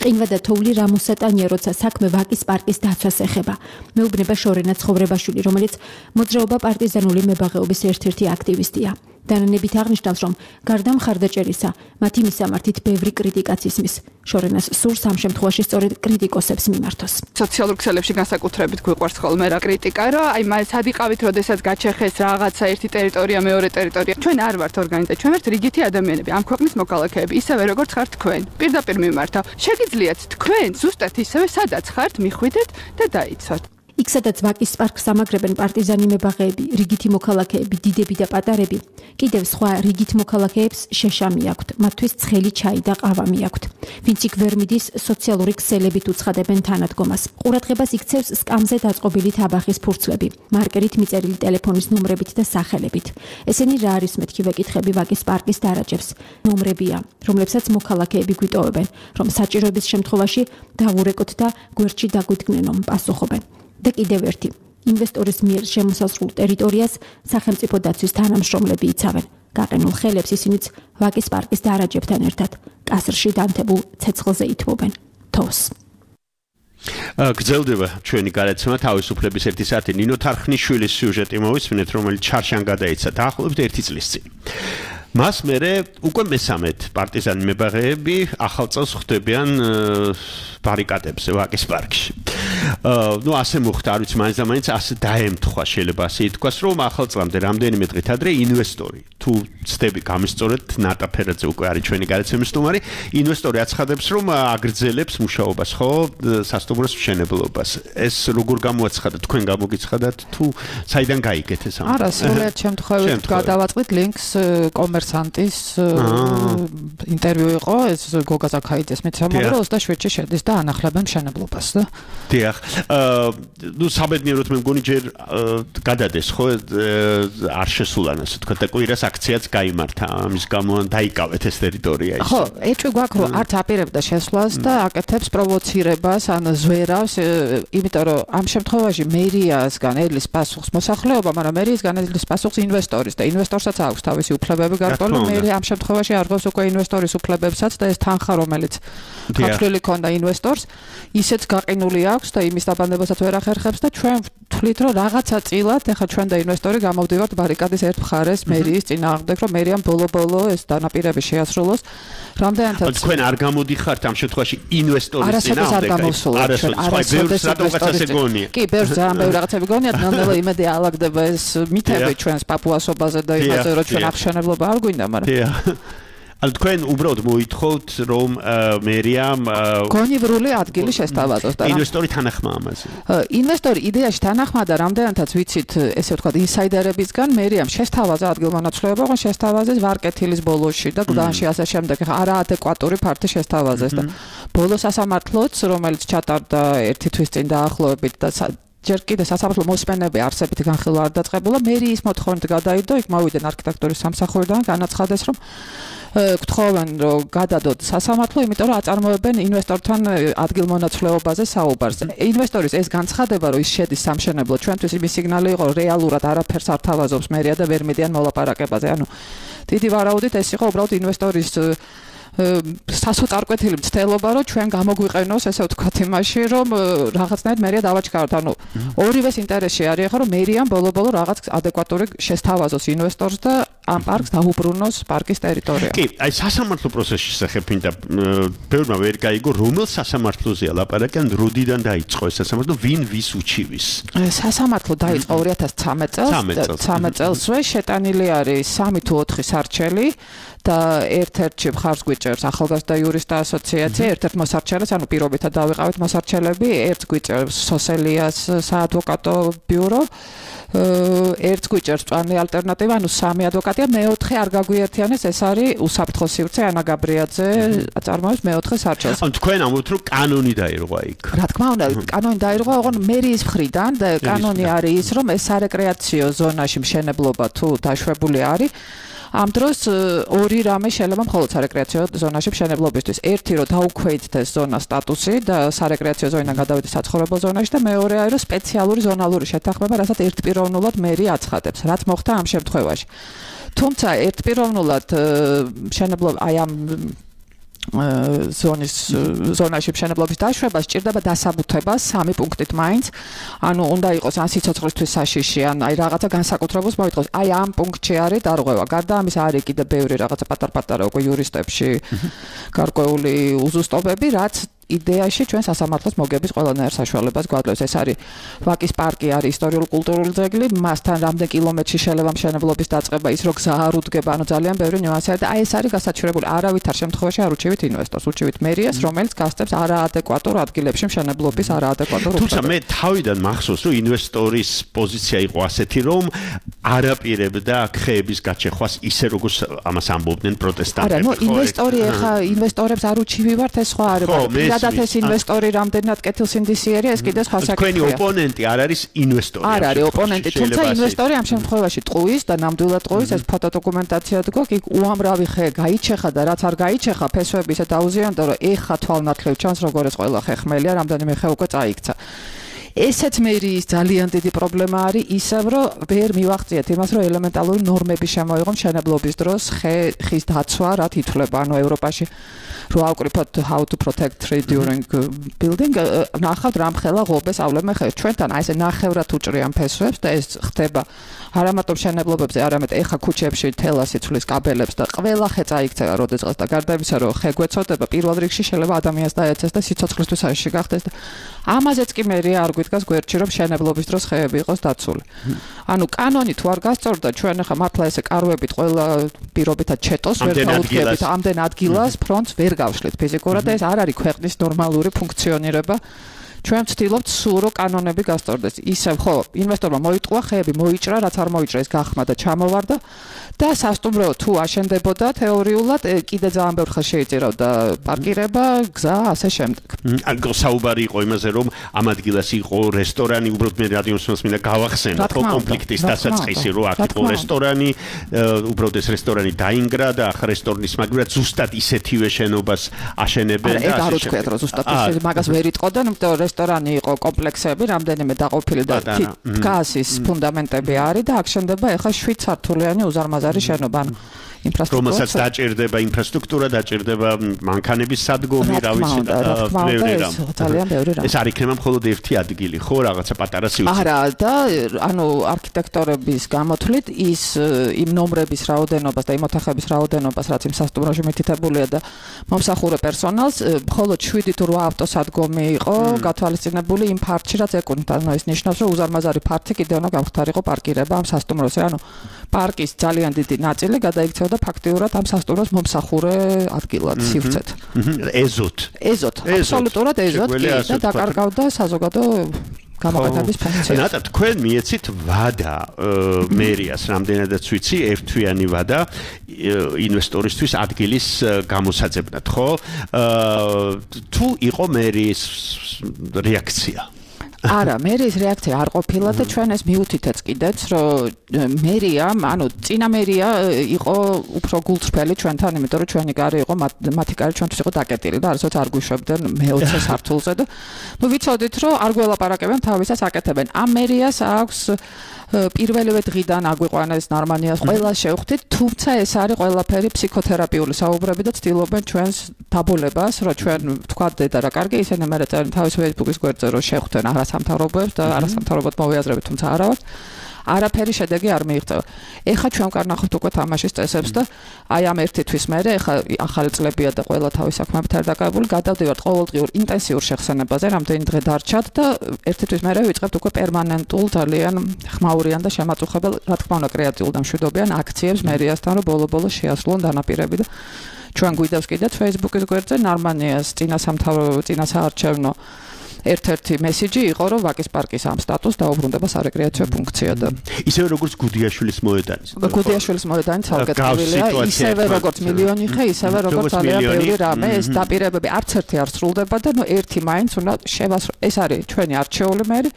ყინვა და თოვლი რამოსატანია, როცა საქმე ვაკის პარკის დაცვას ეხება. მეუბნება შორენა ცხოვრებაშვილი, რომელიც მოძრაობა პარტიზანული მებაღეობის ერთ-ერთი აქტივისტია. დანანებით აღნიშნავს, რომ გარდა მხარდაჭერისა, მათი მისამართით ბევრი კრიტიკაც ისმის. შორენას სურს ამ შემთხვევაში სწორედ კრიტიკოსებს მიმართოს. სოციალურ ქსელებში განსაკუთრებით გვიყვარს ხოლმე რა კრიტიკა, რომ აი სად იყავით, როდესაც გაჩეხეს რაღაცა ერთი ტერიტორია, მეორე ტერიტორია. ჩვენ არ ვართ ორგანიზაცია, ჩვენ ვართ რიგითი ადამიანები, ამ ქვეყნის მოქალაქეები, ისევე როგორც ხართ თქვენ. პირდაპირ მიმართავ. შეგიძლიათ თქვენ ზუსტად ისევე სადაც ხართ, მიხვიდეთ და დაიცვათ. იქ სადაც ვაკის პარკს ამაგრებენ პარტიზანი მებაღეები, რიგითი მოქალაქეები, დიდები და პატარები, კიდევ სხვა რიგით მოქალაქეებს შეშამი აქვთ, მათთვის ცხელი ჩაი და ყავა მიაქვთ. ვინც იქ ვერ მიდის, სოციალური ქსელებით უცხადებენ თანადგომას. ყურადღებას იქცევს სკამზე დაწყობილი თაბახის ფურცლები, მარკერით მიწერილი ტელეფონის ნომრებით და სახელებით. ესენი რა არის მეთქი ვეკითხები ვაკის პარკის დარაჯებს. ნომრებია, რომლებსაც მოქალაქეები გვიტოვებენ, რომ საჭიროების შემთხვევაში დავურეკოთ და გვერდში დაგვიდგნენ, რომ პასუხობენ. და კიდევ ერთი, ინვესტორის მიერ შემოსაზღვრულ ტერიტორიას სახელმწიფო დაცვის თანამშრომლები იცავენ. გაყენულ ხელებს ისინიც ვაკის პარკის დარაჯებთან ერთად კასრში დამთებულ ცეცხლზე ითმობენ. თოს. გრძელდება ჩვენი გადაცემა თავისუფლების 1 საათი. ნინო თარხნიშვილის სიუჟეტი მოვისმინეთ, რომელიც ჩარშან გადაიცა დაახლოებით 1 წლის წინ. მას მერე უკვე მესამედ პარტიზანი მებაღეები ახალ წელს ხვდებიან ბარიკადებზე ვაკის პარკში. ну ასე მოხდა, არ ვიცი, მაინც და მაინც ასე დაემთხვა, შეიძლება ასე ითქვას, რომ ახალ წლამდე რამდენიმე დღით ადრე ინვესტორი, თუ ცდები გამისწორეთ, ნატა ფერაძე უკვე არის ჩვენი გადაცემის სტუმარი, ინვესტორი აცხადებს, რომ აგრძელებს მუშაობას, ხო, სასტუმროს მშენებლობას. ეს როგორ გამოაცხადა, თქვენ გამოგიცხადათ, თუ საიდან გაიგეთ ეს ამბავი? არა, სრულად შემთხვევით გადავაწყდით ლინკს კომერსანტის ინტერვიუ იყო, ეს გოგა ზაქაიძეს მეცემობა, რომ 27-ში შედის და ანახლებენ მშენებლობას და დიახ. ну საბედნიეროდ მე მგონი ჯერ გადადეს, ხო, არ შესულან ასე თქვა და კვირას აქციაც გაიმართა, ამის გამო დაიკავეთ ეს ტერიტორია ის. ხო, ეჭვი გვაქვს, რომ არც აპირებდა შესვლას და აკეთებს პროვოცირებას, ან ზვერავს, იმიტომ რომ ამ შემთხვევაში მერიასგან ელის პასუხს მოსახლეობა, მაგრამ მერიისგან ელის პასუხს ინვესტორის და ინვესტორსაც აქვს თავისი უფლებები გარკვეული, მერი ამ შემთხვევაში არღვევს უკვე ინვესტორის უფლებებსაც და ეს თანხა, რომელიც ხალხი ქონდა ინვესტორს, ისეც გაყინული აქვს და იმის დაბანდებასაც ვერ ახერხებს და ჩვენ ვთვლით, რომ რაღაცა წილად, ეხლა ჩვენ და ინვესტორი გამოვდივართ ბარიკადის ერთ მხარეს მერიის წინააღმდეგ, რომ მერიამ ბოლო-ბოლო ეს დანაპირები შეასრულოს. რამდენადაც თქვენ არ გამოდიხართ ამ შემთხვევაში ინვესტორის წინააღმდეგ? არასოდეს რაღაცას ეგონია. კი, ბევრ ძალიან ბევრი რაღაცები გონიათ, ნამდვილად იმედი ალაგდება ეს მითები ჩვენს პაპუასობაზე და იმაზე, რომ ჩვენ აღშენებლობა არ გვინდა, მაგრამ ანუ თქვენ უბრალოდ მოითხოვთ რომ მერიამ გონივრული ადგილი შესთავაზოს და ინვესტორი თანახმა ამაზე. ინვესტორი იდეაში თანახმა და რამდენადაც ვიცით, ესე ვთქვათ, ინსაიდერებისგან მერიამ შესთავაზა ადგილმონაცვლეობა, ოღონდ შესთავაზეს ვარკეთილის ბოლოში და გდანში ასე შემდეგ. არაადეკვატური ფართი შესთავაზეს და ბოლო სასამართლოც, რომელიც ჩატარდა ერთი თვის წინ დაახლოებით და ჯერ კიდევ სასამართლო მოსმენები არსებით განხილვა არ დაწყებულა, მერიის მოთხოვნით გადაიდო, იქ მოვიდნენ არქიტექტურის სამსახურიდან, განაცხადეს, რომ გთხოვენ რომ გადადოთ სასამართლო, იმიტომ რომ აწარმოებენ ინვესტორთან ადგილმონაცვლეობაზე საუბარს. ინვესტორის ეს განცხადება, რომ ის შედის სამშენებლო, ჩვენთვის იმის სიგნალი იყო, რომ რეალურად არაფერს არ თავაზობს მერია და ვერ მიდიან მოლაპარაკებაზე. ანუ დიდი ვარაუდით ეს იყო უბრალოდ ინვესტორის სასოწარკვეთილი მცდელობა, რომ ჩვენ გამოგვიყენოს, ესე ვთქვათ, იმაში, რომ რაღაცნაირად მერია დავაჩქაროთ. ანუ ორივეს ინტერესში არის ახლა, რომ მერიამ ბოლო-ბოლო რაღაც ადეკვატური შესთავაზოს ინვესტორს და ამ პარკს დაუბრუნოს პარკის ტერიტორია. კი, აი სასამართლო პროცესის შესახებ მინდა ბევრმა ვერ გაიგო, რომელ სასამართლოზეა ლაპარაკი, ან როდიდან დაიწყო ეს სასამართლო, ვინ ვის უჩივის? სასამართლო დაიწყო 2013 წელს, 13 წელსვე შეტანილი არის 3 თუ 4 სარჩელი და ერთ-ერთში მხარს გვიჭერს ახალგაზრდა იურისტთა ასოციაცია, ერთ-ერთ მოსარჩელს, ანუ პირობითად დავიყავით მოსარჩელები, ერთ გვიჭერს სოსელიას საადვოკატო ბიურო, ერთ გვიჭერს პლანი ალტერნატივა, ანუ 3 ადვოკატია, მეოთხე არ გაგვიერთიანეს, ეს არის უსაფრთხო სივრცე ანა გაბრიაძე აწარმოებს მეოთხე სარჩელს. ანუ თქვენ ამბობთ, რომ კანონი დაირღვა იქ. რა თქმა უნდა, კანონი დაირღვა, ოღონდ მერიის მხრიდან და კანონი არის ის, რომ ეს სარეკრეაციო ზონაში მშენებლობა თუ დაშვებული არის, ამ დროს ორი რამე შეიძლება მხოლოდ სარეკრეაციო ზონაში მშენებლობისთვის. ერთი რომ დაუქვეითდეს ზონას სტატუსი და სარეკრეაციო ზონიდან გადავიდეს საცხოვრებელ ზონაში და მეორე არის რომ სპეციალური ზონალური შეთანხმება, რასაც ერთპიროვნულად მერი აცხადებს, რაც მოხდა ამ შემთხვევაში. თუმცა ერთპიროვნულად მშენებლობა აი ამ ზონაში მშენებლობის დაშვება სჭირდება დასაბუთება 3 პუნქტით მაინც. ანუ უნდა იყოს ან სიცოცხლისთვის საშიში, ან აი რაღაცა განსაკუთრებულს მოითხოვს. აი ამ პუნქტში არის დარღვევა. გარდა ამისა არის კიდე ბევრი რაღაცა პატარ-პატარა უკვე იურისტებში გარკვეული უზუსტობები, რაც იდეაში ჩვენ სასამართლოს მოგების ყველანაირ საშუალებას გვაძლევს. ეს არის ვაკის პარკი, არის ისტორიულ-კულტურული ძეგლი, მასთან რამდენ კილომეტრში შეიძლება მშენებლობის დაწყება, ის რო გზა არ უდგება, ანუ ძალიან ბევრი ნიუანსია და აი ეს არის გასაჩივრებული. არავითარ შემთხვევაში არ უჩივით ინვესტორს, უჩივით მერიას, რომელიც გასწევს არაადეკვატურ ადგილებში მშენებლობის არაადეკვატურ თუმცა მე თავიდან მახსოვს, რომ ინვესტორის პოზიცია იყო ასეთი, რომ არაპირებდა ხეების გაჩეხვას ისე როგორც ამას ამბობდნენ პროტესტანტები. არა, ნუ ინვესტორი ახლა ინვესტორებს არ უჩივივართ, ეს სხვა არის. სადაც ეს ინვესტორი რამდენად კეთილსინდისიერია, ეს კიდე სხვა საკითხია. თქვენი ოპონენტი არ არის ინვესტორი. არ არის ოპონენტი, თუმცა ინვესტორი ამ შემთხვევაში ტყუის და ნამდვილად ტყუის, ეს ფოტოდოკუმენტაციად გვაქვს, იქ უამრავი ხე გაიჩეხა და რაც არ გაიჩეხა, ფესვები ისე დაუზიანდა, რომ ეხა თვალნათლივ ჩანს, როგორ ეს ყველა ხე ხმელია, რამდენიმე ხე უკვე წაიქცა. ესეც მერიის ძალიან დიდი პრობლემა არის, ისევ რომ ვერ მივახციეთ იმას, რომ ელემენტალური ნორმები შემოიღო მშენებლობის დროს ხის დაცვა, რაც ითვლება, ანუ ევროპაში რო ავკრიფოთ how to protect tree during building, ნახავთ რამხელა ღობეს ავლემენ ხეს. ჩვენთან აი ესე ნახევრად უჭრიან ფესვებს და ეს ხდება არა მარტო მშენებლობებზე, არამედ ეხა ქუჩებში თელას იცვლის კაბელებს და ყველა ხე წაიქცევა როდესღაც და გარდა იმისა, რომ ხე გვეწოდება, პირველ რიგში შეიძლება ადამიანს დაეცეს და სიცოცხლისთვის საშიში გახდეს და ამაზეც კი მერია არ გვიდგას გვერდში, რომ მშენებლობის დროს ხეები იყოს დაცული. ანუ კანონი თუ არ გასწორდა, ჩვენ ახლა მართლა ესე კარვებით ყველა პირობითად ჩეტოს ვერ დაუდგებით ამდენ ადგილას ფრონტს ვერ გავშლით ფიზიკურად და ეს არ არის ქვეყნის ნორმალური ფუნქციონირება. ჩვენ ვცდილობთ სულ რომ კანონები გასწორდეს. ისევ ხო, ინვესტორმა მოიტყვა, ხეები მოიჭრა, რაც არ მოიჭრა ეს გახმა და ჩამოვარდა და სასტუმრო თუ აშენდებოდა თეორიულად კიდე ძალიან ბევრ ხანს შეიწირავდა პარკირება, გზა, ასე შემდეგ. ანუ საუბარი იყო იმაზე, რომ ამ ადგილას იყო რესტორანი, უბრალოდ მე რადიოსმენს მინდა გავახსენო კონფლიქტის დასაწყისი, რომ აქ იყო რესტორანი, უბრალოდ ეს რესტორანი დაინგრა და ახლა რესტორნის მაგურად ზუსტად ისეთივე შენობას აშენებენ და ასე შემდეგ. არა, ზუსტად ისე მაგას ვერ იტყოდნენ, იმიტომ რომ რესტორანი იყო კომპლექსები, რამდენიმე დაყოფილი და დგას ფუნდამენტები არის და აქ შენდება ახლა 7 სართულიანი უზარმაზარი შენობა. რომელსაც დაჭირდება ინფრასტრუქტურა, დაჭირდება მანქანების სადგომი, რა ვიცი და ბევრი რამ. ძალიან ბევრი რამ. ეს არ იქნება მხოლოდ ერთი ადგილი, ხო, რაღაცა პატარა სივრცე. არა, და ანუ არქიტექტორების გამოთვლით ის იმ ნომრების რაოდენობას და იმ ოთახების რაოდენობას, რაც იმ სასტუმროში მითითებულია და მომსახურე პერსონალს, მხოლოდ 7 თუ 8 ავტოსადგომი იყო გათვალისწინებული იმ ფართში, რაც ეკუთვნით. ანუ ეს ნიშნავს, რომ უზარმაზარი ფართი კიდევ უნდა გამხდარიყო პარკირება ამ სასტუმროზე. ანუ პარკის ძალიან დიდი ნაწილი გადაიქცეოდა ფაქტიურად ამ სასტუმროს მომსახურე ადგილად სივრცეთ. ეზოთ. აბსოლუტურად ეზოთ კი და დაკარგავდა საზოგადო გამოყენების ფუნქცია. ნატა თქვენ მიეცით ვადა მერიას, რამდენადაც ვიცი, ერთთვიანი ვადა ინვესტორისთვის ადგილის გამოსაძებნად, ხო? თუ იყო მერის რეაქცია? არა, მერის რეაქცია არ ყოფილა და ჩვენ ეს მივუთითეთ კიდეც, რომ მერია, ანუ წინა მერია იყო უფრო გულწრფელი ჩვენთან, იმიტომ რომ ჩვენი კარი იყო მათი კარი ჩვენთვის იყო დაკეტილი და არასოდეს არ გვიშვებდნენ მე-20 სართულზე და ნუ ვიცოდით, რომ არ გველაპარაკებენ, თავისას აკეთებენ. ამ მერიას აქვს პირველივე დღიდან აგვიყვანეს ნარმანიას ყველა შევხვდით, თუმცა ეს არის ყველაფერი ფსიქოთერაპიული საუბრები და ცდილობენ ჩვენს დაბოლებას, რომ ჩვენ თქვათ დედა რა კარგი, ისინი მე წერენ თავის Facebook-ის გვერდზე, რომ შევხვდნენ არასამთავრობოებს და არასამთავრობოდ მოვიაზრებით, თუმცა არა ვართ. არაფერი შედეგი არ მიიღწევა. ეხლა ჩვენ კარნახავთ უკვე თამაშის წესებს და აი ამ ერთი თვის მერე ეხლა ახალი წლებია და ყველა თავის საქმეებით არ დაკავებული, გადავდივართ ყოველდღიურ ინტენსიურ შეხსენებაზე, რამდენი დღე დარჩათ და ერთი თვის მერე ვიწყებთ უკვე პერმანენტულ ძალიან ხმაურიან და შემაწუხებელ, რა თქმა უნდა, კრეატიულ და მშვიდობიან აქციებს მერიასთან, რომ ბოლო-ბოლო შეასრულონ დანაპირები და ჩვენ გვიდევს კიდეც Facebook-ის გვერდზე ნარმანიას წინასაარჩევნო ერთ-ერთი მესიჯი იყო, რომ ვაკის პარკის ამ სტატუსს დაუბრუნდება სარეკრეაციო ფუნქცია და ისევე როგორც გუდიაშვილის მოედანის. გუდიაშვილის მოედანი ცალკე ტკივილია, ისევე როგორც მილიონი ხე, ისევე როგორც ძალიან ბევრი რამე, ეს დაპირებები არც ერთი არ სრულდება და ნუ ერთი მაინც უნდა ეს არის ჩვენი არჩეული მერი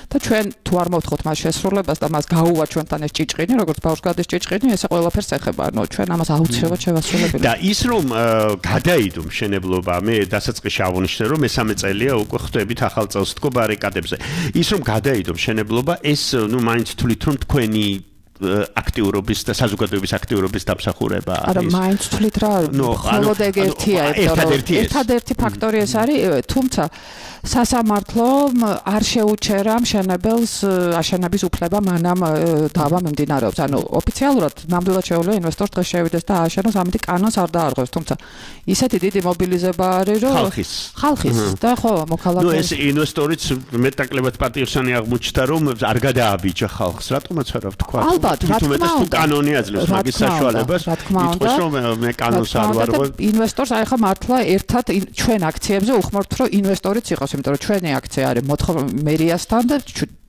და ჩვენ თუ არ მოვთხოვთ მას შესრულებას და მას გაუვა ჩვენთან ეს ჭიჭყინი, როგორც ბავშვს გადის ჭიჭყინი, ესე ყველაფერს ეხება, ანუ ჩვენ ამას აუცილებლად შევასრულებელია. და ის რომ გადაიდო მშენებლობა, მე დასაწყისში ავუნიშნე, რომ მესამე წელია უკვე ხვდებით ახალ წელს თქო ბარიკადებზე. ის რომ გადაიდო მშენებლობა, ეს ნუ მაინც თვლით რომ თქვენი აქტიურობის და საზოგადოების აქტიურობის დამსახურება არის. არა, მაინც თვლით რა, მხოლოდ ეგ ერთია, ერთადერთი ფაქტორი ეს არის, თუმცა სასამართლომ არ შეუჩერა მშენებელს აშენების უფლება მანამ დავა მიმდინარეობს. ანუ ოფიციალურად ნამდვილად შეუძლია ინვესტორს დღეს შევიდეს და ააშენოს, ამიტომ კანონს არ დაარღვევს, თუმცა ისეთი დიდი მობილიზება არის, რომ ხალხის და ხო, მოქალაქეების. ნუ ეს ინვესტორიც მეტაკლებად პატიოსანი აღმოჩნდა, რომ არ გადააბიჯა ხალხს, რატომაც არა ვთქვა. ალბათ, რა თქმა უნდა. თუ კანონი აძლევს მაგის საშუალებას, იტყვის რომ მე კანონს არ ვარღვევ. ინვესტორს აი ხა მართლა ერთად ჩვენ აქციებზე უხმართ, რომ ინვესტორიც იყოს, იმიტომ რომ ჩვენი აქცია არის მერიასთან და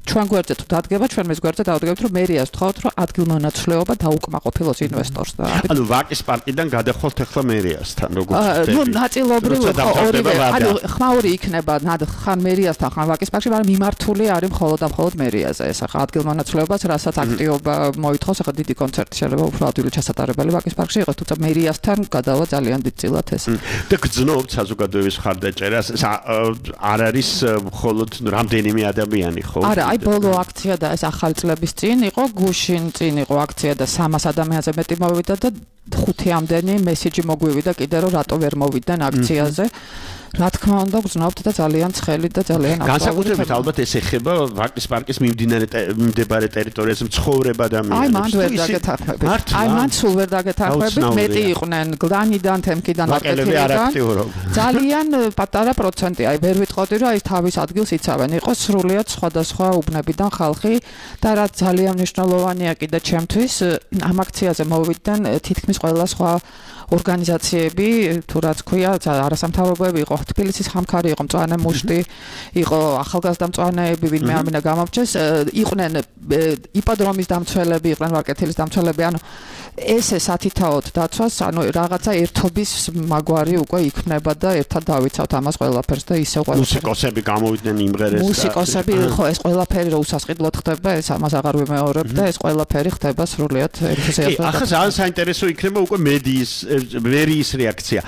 ჩვენ გვერდზე თუ დადგება, ჩვენ მის გვერდზე დავდგებთ, რომ მერიას ვთხოვთ, რომ ადგილმონაცვლეობა დაუკმაყოფილოს ინვესტორს და ანუ ვაკის პარკიდან გადახვალთ ახლა მერიასთან, როგორც ხდება. ნუ ნაწილობრივ ორივე, ანუ ხმაური იქნება ხან მერიასთან, ხან ვაკის პარკში, მაგრამ მიმართული არის მხოლოდ და მხოლოდ მერიაზე. ეს ახლა ადგილმონაცვლეობას, რასაც აქტიობა მოითხოვს, ახლა დიდი კონცერტი შეიძლება უფრო ადვილი ჩასატარებელი ვაკის პარკში იყოს, თუმცა მერიასთან გადავა ძალიან დიდწილად ეს. და გძნობთ საზოგადოების ხარდაჭერას, არ არის მხოლოდ რამდენიმე ადამიანი, ხო? არა, ბოლო აქცია და ეს ახალი წლების წინ იყო, გუშინ წინ იყო აქცია და 300 ადამიანზე მეტი მოვიდა და 5-ამდენი მესიჯი მოგვივიდა კიდე რომ რატო ვერ მოვიდნენ აქციაზე. რა თქმა უნდა, გძნობთ და ძალიან ცხელი და ძალიან განსაკუთრებით ალბათ ეს ეხება ვაკის პარკის მიმდებარე ტერიტორიაზე მცხოვრებ ადამიანებს. აი, მან ვერ დაგეთანხმებით. აი, მან სულ ვერ დაგეთანხმებით, მეტი იყვნენ გლანიდან, თემკიდან, ვაკეთილიდან. ძალიან პატარა პროცენტი. აი, ვერ ვიტყოდი, რომ აი თავის ადგილს იცავენ. იყო სრულიად სხვადასხვა უბნებიდან ხალხი და რაც ძალიან მნიშვნელოვანია კიდე ჩემთვის, ამ აქციაზე მოვიდნენ თითქმის ყველა სხვა ორგანიზაციები, თუ რაც ქვია, არასამთავრობოები იყო, თბილისის ხამქარი იყო, მწვანე მუშტი, იყო ახალგაზრდა მწვანეები, ვინმე არ მინდა გამომჩეს, იყვნენ იპოდრომის დამცველები, იყვნენ ვარკეთილის დამცველები, ანუ ესე სათითაოდ დაცვას, ანუ რაღაცა ერთობის მაგვარი უკვე იქმნება და ერთად დავიცავთ ამას ყველაფერს და ისე ყველაფერი. მუსიკოსები გამოვიდნენ იმღერეს. მუსიკოსები, ხო, ეს ყველაფერი რო უსასყიდლოდ ხდება, ეს ამას აღარ ვიმეორებ და ეს ყველაფერი ხდება სრულიად ენთუზიაზმით. ახლა ძალიან საინტერესო იქნება უკვე მერიის რეაქცია.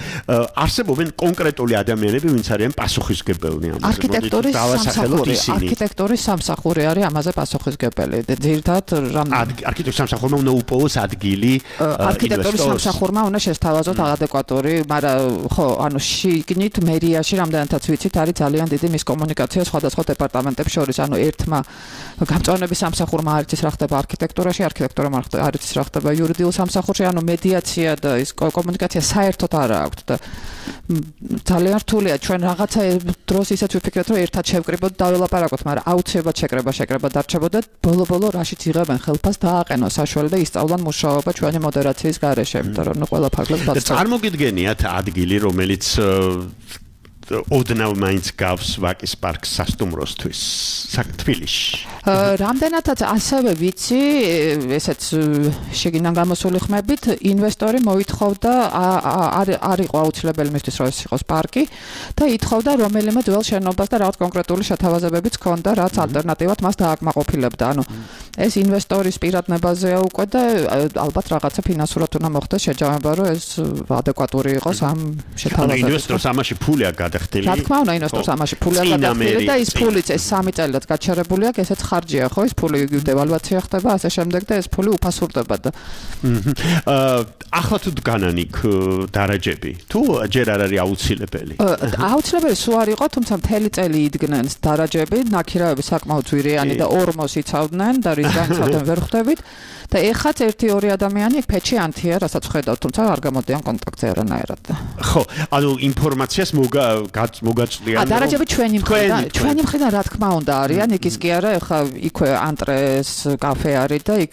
არსებობენ კონკრეტული ადამიანები, ვინც არიან პასუხისმგებელნი ამაზე. არქიტექტორის სამსახური არის ამაზე პასუხისმგებელი. შეუძლებელი. ძირითადად არქიტექტურის სამსახურმა უნდა უპოვოს ადგილი არქიტექტურის სამსახურმა უნდა შესთავაზოს ადეკვატური, მაგრამ ხო, ანუ შიგნით მერიაში რამდენადაც ვიცით, არის ძალიან დიდი მისკომუნიკაცია სხვადასხვა დეპარტამენტებს შორის, ანუ ერთმა გამწვანების სამსახურმა არ იცის რა ხდება არქიტექტურაში, არქიტექტურამ არ იცის რა ხდება იურიდიულ სამსახურში, ანუ მედიაცია და ის კომუნიკაცია საერთოდ არ აქვს და ძალიან რთულია ჩვენ რაღაცა დროს ისეც ვიფიქრეთ რომ ერთად შევკრიბოთ და ველაპარაკოთ, მაგრამ აუცილებლად შეკრება დარჩებოდა ბოლო რაშიც იღებენ ხელფას დააყენოს საშუალება და ისწავლან მუშაობა ჩვენი მოდერაციის გარეშე, იმიტომ რომ ყველა ფარგლებს და წარმოგიდგენიათ ადგილი რომელიც ოდნავ მაინც გავს ვაკის პარკს სასტუმროსთვის თბილისში. რამდენადაც ასევე ვიცი, ესეც შეგინან გამოსული ხმებით, ინვესტორი მოითხოვდა არ იყო აუცილებელი მისთვის რომ ეს იყოს პარკი და ითხოვდა რომელიმე ძველ შენობას და რაღაც კონკრეტული შეთავაზებებიც ჰქონდა, რაც ალტერნატივად მას დააკმაყოფილებდა. ანუ ეს ინვესტორის პირადნებაზეა უკვე და ალბათ რაღაცა ფინანსურად უნდა მოხდეს შეჯამება, რომ ეს ადეკვატური იყოს ამ შეთავაზებებს. ინვესტორს ამაში ფული აქვს გადახდილი. რა თქმა უნდა, ინვესტორს ამაში ფული აქვს გადახდილი და ის ფულიც ეს 3 წელიწად გაჩერებული აქვს, ესეც ხარჯია, ხო, ეს ფული დევალვაცია ხდება, ასე შემდეგ და ეს ფული უფასურდება და ახლა თუ დგანან იქ დარაჯები, თუ ჯერ არ არის აუცილებელი? აუცილებელი სულ არ იყო, თუმცა მთელი წელი იდგნენ დარაჯები, ნაქირავები საკმაოდ ძვირიანი და ორმოს იცავდნენ და რის განცავდნენ ვერ ხვდებით. და ეხაც 1-2 ადამიანი იქ ფეჩი ანთია, რასაც ხედავთ, თუმცა არ გამოდიან კონტაქტზე არანაირად. ხო, ანუ ინფორმაციას მოგაწვდიან. დარაჯები ჩვენი მხრიდან რა თქმა უნდა არიან, იქ ის კი არა, ეხა იქვე ანტრეს კაფე არის და იქ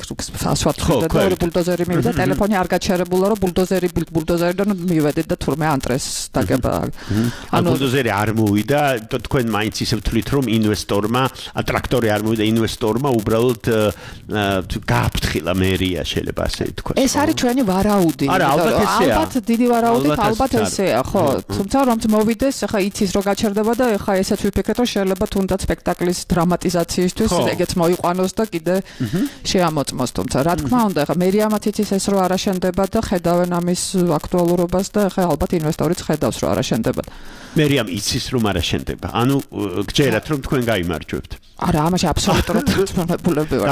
ასვათქდა და ორი ბულდოზერი მივიდა, ტელეფონი არ გაჩერებულა, რომ ბულდოზერიდან მივედით და თურმე ანტრეს დაგება. ანუ ბულდოზერი არ მოვიდა, თქვენ მაინც ისე ვთვლით, რომ ინვესტორმა, ტრაქტორი არ მოვიდა, ინვესტორმა უბრალოდ გააფრთხილა მერია შეიძლება ასე თქვა. ეს არის ჩვენი ვარაუდი. ალბათ დიდი ვარაუდით, ალბათ ესეა, ხო. თუმცა რომ მოვიდეს, ახლა იცის რომ გაჩერდება და ახლა ესეც ვიფიქრეთ, რომ შეიძლება თუნდაც სპექტაკლის დრამატიზაციისთვის ეგეც მოიყვანოს და კიდე შეამოწმოს. თუმცა რა თქმა უნდა, ახლა მერიამაც იცის ეს რომ არაშენდება და ხედავენ ამის აკტუალურობას და ახლა ალბათ ინვესტორიც ხედავს რომ არაშენდება. მერიამ იცის რომ არაშენდება. ანუ გჯერათ რომ თქვენ გაიმარჯვებთ. არა, ამაში აბსოლუტურად დაწუნებულები ვარ.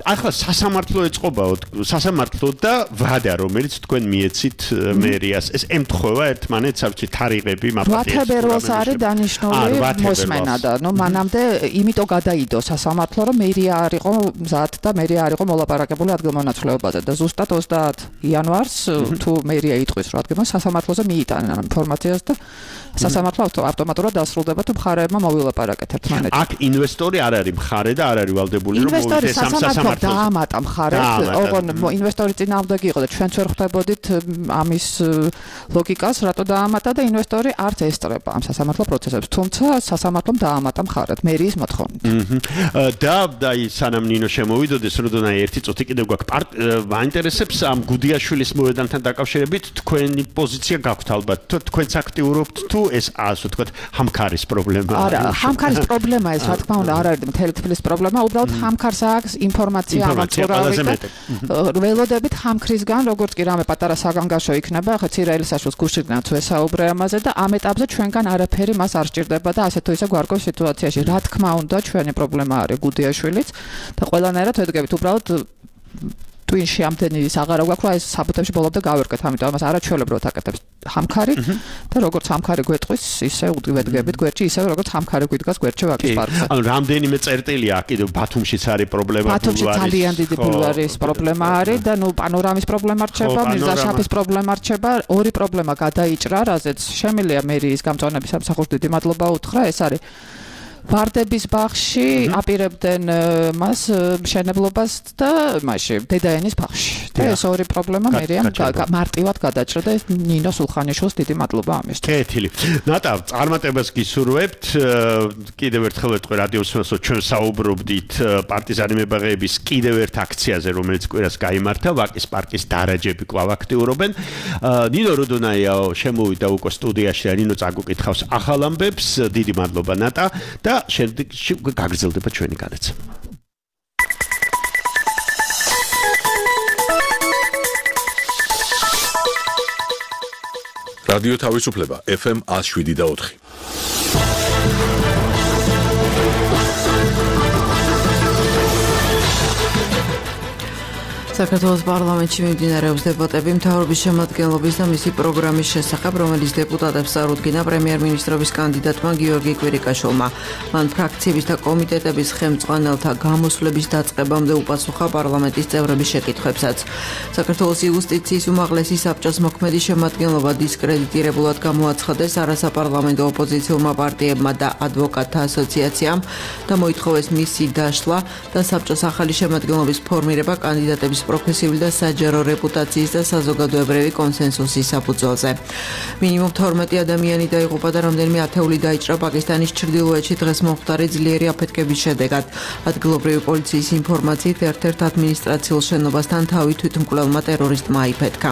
ახლა სასამართლო ეწყობაო, სასამართლო და ვადა, რომელიც თქვენ მიეცით მერიას. ეს ემთხვევა ერთმანეთს, არჩი თარიღები, ვათებერვალს არის დანიშნული მოსმენა და ნუ მანამდე იმიტომ გადაიდო სასამართლო, რომ მერია არ იყო მზად და მერია არ იყო მოლაპარაკებული ადგილმონაცვლეობაზე და ზუსტად 30 იანვარს თუ მერია იტყვის რომ ადგილმონაცვლეობაზე სასამართლოზე მიიტანენ ამ ინფორმაციას და სასამართლო ავტომატურად დასრულდება თუ მხარეებმა მოვილაპარაკეთ ერთმანეთს. აქ ინვესტორი არ არის მხარე და არ არის ვალდებული რომ მოვიდეს ამ სასამართლოზე. დაამატა მხარეს, ოღონ ინვესტორი წინააღმდეგი იყო და ჩვენც ვერ ხვდებოდით ამის ლოგიკას, რატო დაამატა და ინვესტორი არც ესწრება ამ სასამართლო პროცესებს, თუმცა სასამართლომ დაამატა მხარად მერიის მოთხოვნით. და სანამ ნინო შემოვიდოდეს, როდესაც ერთი წუთი კიდევ გვაქვს, მაინტერესებს ამ გუდიაშვილის მოედანთან დაკავშირებით თქვენი პოზიცია გაქვთ ალბათ, თქვენც აქტიურობთ თუ ეს ასე ვთქვათ, ჰამქარის პრობლემაა? არა, ჰამქარის პრობლემა ეს რა თქმა უნდა არ არის მთელი თბილისის პრობლემა, უბრალოდ ჰამქარს აქვს ინფორმაცია ამაწურავი და ველოდებით ჰამქრისგან, როგორც კი რამე პატარა საგანგაშო იქნება, ახლა ცირაელის საშუალს გუშინაც ვესაუბრე ამაზე და ამ ეტაპზე ჩვენგან არაფერი მას არ სჭირდება და ასე თუ ისე გვარგოს სიტუაციაში. რა თქმა უნდა, ჩვენი პრობლემა არის გუდიაშვილიც და ყველანაირად ვედგებით უბრალოდ twin-ში ამდენი ის აღარა გვაქვს, რომ ეს საბუთებში ბოლომდე გავერკეთ, ამიტომ ამას არაჩვეულებრივად აკეთებს ჰამქარი და როგორც ჰამქარი გვეტყვის, ისე ვედგებით გვერდში, ისე როგორც ჰამქარი გვიდგას გვერდში ვაკის პარკზე. ანუ რამდენიმე წერტილია კიდევ ბათუმშიც არის პრობლემა, ბათუმში ძალიან დიდი ბულვარის პრობლემა არის და ნუ პანორამის პრობლემა რჩება, მირზაშაფის პრობლემა რჩება, ორი პრობლემა გადაიჭრა, რაზეც შემიძლია მერიის გამწვანების სამსახურს დიდი მადლობა უთხრა, ეს არის ვარდების ბაღში აპირებდნენ მას მშენებლობას და მაშინ დედაენის ბაღში. და ეს ორი პრობლემა მერიამ მარტივად გადაჭრა და ნინო სულხანიშვილს დიდი მადლობა ამისთვის. კეთილი. ნატა, წარმატებას გისურვებთ. კიდევ ერთხელ ვეთქვი რადიოს მსმენელს, ჩვენ საუბრობდით პარტიზანი მებაღეების კიდევ ერთ აქციაზე, რომელიც კვირას გაიმართა, ვაკის პარკის დარაჯები კვლავ აქტიურობენ. ნინო როდონაიაო შემოვიდა უკვე სტუდიაში და ნინო წაგუკითხავს ახალ ამბებს. დიდი მადლობა ნატა და შემდეგში გაგრძელდება ჩვენი განაცემა. რადიო თავისუფლება FM 107.4. საქართველოს პარლამენტში მიმდინარეობს დებატები მთავრობის შემადგენლობის და მისი პროგრამის შესახებ, რომელიც დეპუტატებს წარუდგინა პრემიერ-მინისტრობის კანდიდატმა გიორგი კვირიკაშვილმა. მან ფრაქციების და კომიტეტების ხელმძღვანელთა გამოსვლების დაწყებამდე უპასუხა პარლამენტის წევრების შეკითხვებსაც. საქართველოს იუსტიციის უმაღლესი საბჭოს მოქმედი შემადგენლობა დისკრედიტირებულად გამოაცხადეს არასაპარლამენტო ოპოზიციურმა პარტიებმა და ადვოკატთა ასოციაციამ და მოითხოვეს მისი დაშლა და საბჭოს ახალი შემადგენლობის ფორმირება კანდიდატების პროფესიული და საჯარო რეპუტაციის და საზოგადოებრივი კონსენსუსის საფუძველზე. მინიმუმ 12 ადამიანი დაიღუპა და რამდენიმე ათეული დაიჭრა პაკისტანის ჩრდილოეთში დღეს მომხდარი ძლიერი აფეთქების შედეგად. ადგილობრივი პოლიციის ინფორმაციით ერთ-ერთ ადმინისტრაციულ შენობასთან თავი თვითმკვლელმა ტერორისტმა აიფეთქა.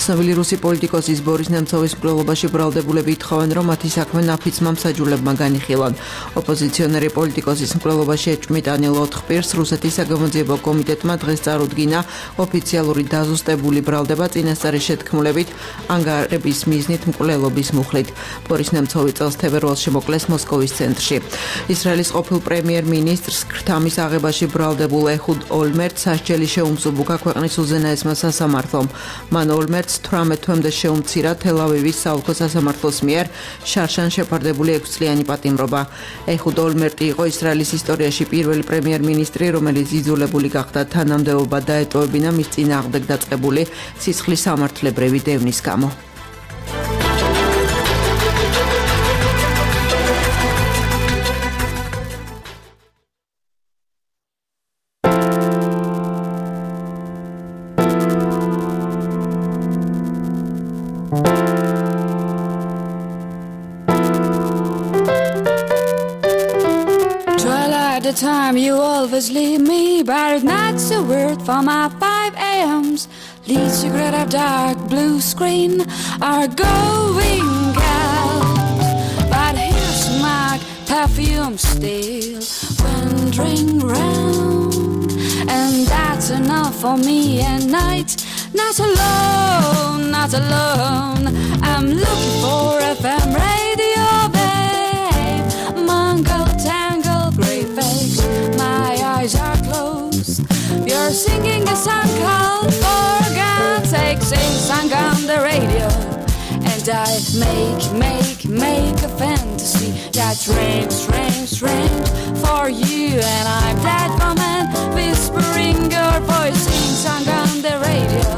ცნობილი რუსი პოლიტიკოსის ბორის ნემცოვის მკვლელობაში ბრალდებულები ითხოვენ, რომ მათი საქმე ნაფიცმა მსაჯულებმა განიხილონ. ოპოზიციონერი პოლიტიკოსის მკვლელობაში ეჭვმიტანილ 4 პირს რუსეთის საგამოძიებო კომიტეტმა დღეს წარუდგინა ოფიციალური დაზუსტებული ბრალდება წინასწარი შეთქმულებით ანგარების მიზნით მკვლელობის მუხლით. ბორის ნემცოვი წელს თებერვალში მოკლეს მოსკოვის ცენტრში. ისრაელის ყოფილ პრემიერ-მინისტრს ქრთამის აღებაში ბრალდებულ ეჰუდ ოლმერტს სასჯელი შეუმსუბუქა ქვეყნის უზენაესმა სასამართლომ. მან ოლმერტს 18 თვემდე შეუმცირა თელ-ავივის საოლქო სასამართლოს მიერ შარშან შეფარდებული 6 წლიანი პატიმრობა. ეჰუდ ოლმერტი იყო ისრაელის ისტორიაში პირველი პრემიერ-მინისტრი, რომელიც იძულებული გახდა თანამდებობა დაეტოვებინა მის წინააღმდეგ დაწყებული სისხლის სამართლებრივი დევნის გამო. Time you always leave me, but that's a word for my 5 a.m.s. Lead cigarette of dark blue screen are going out, but here's my perfume still wandering round, and that's enough for me at night. Not alone, not alone. I'm looking for FM radio, babe. Mongol tangle, grey face. My eyes are closed. You're singing a song called For God's Sake. Sing song on the radio, and I make a fantasy that's strange, strange, strange for you. And I'm that woman whispering your voice. Sing song on the radio,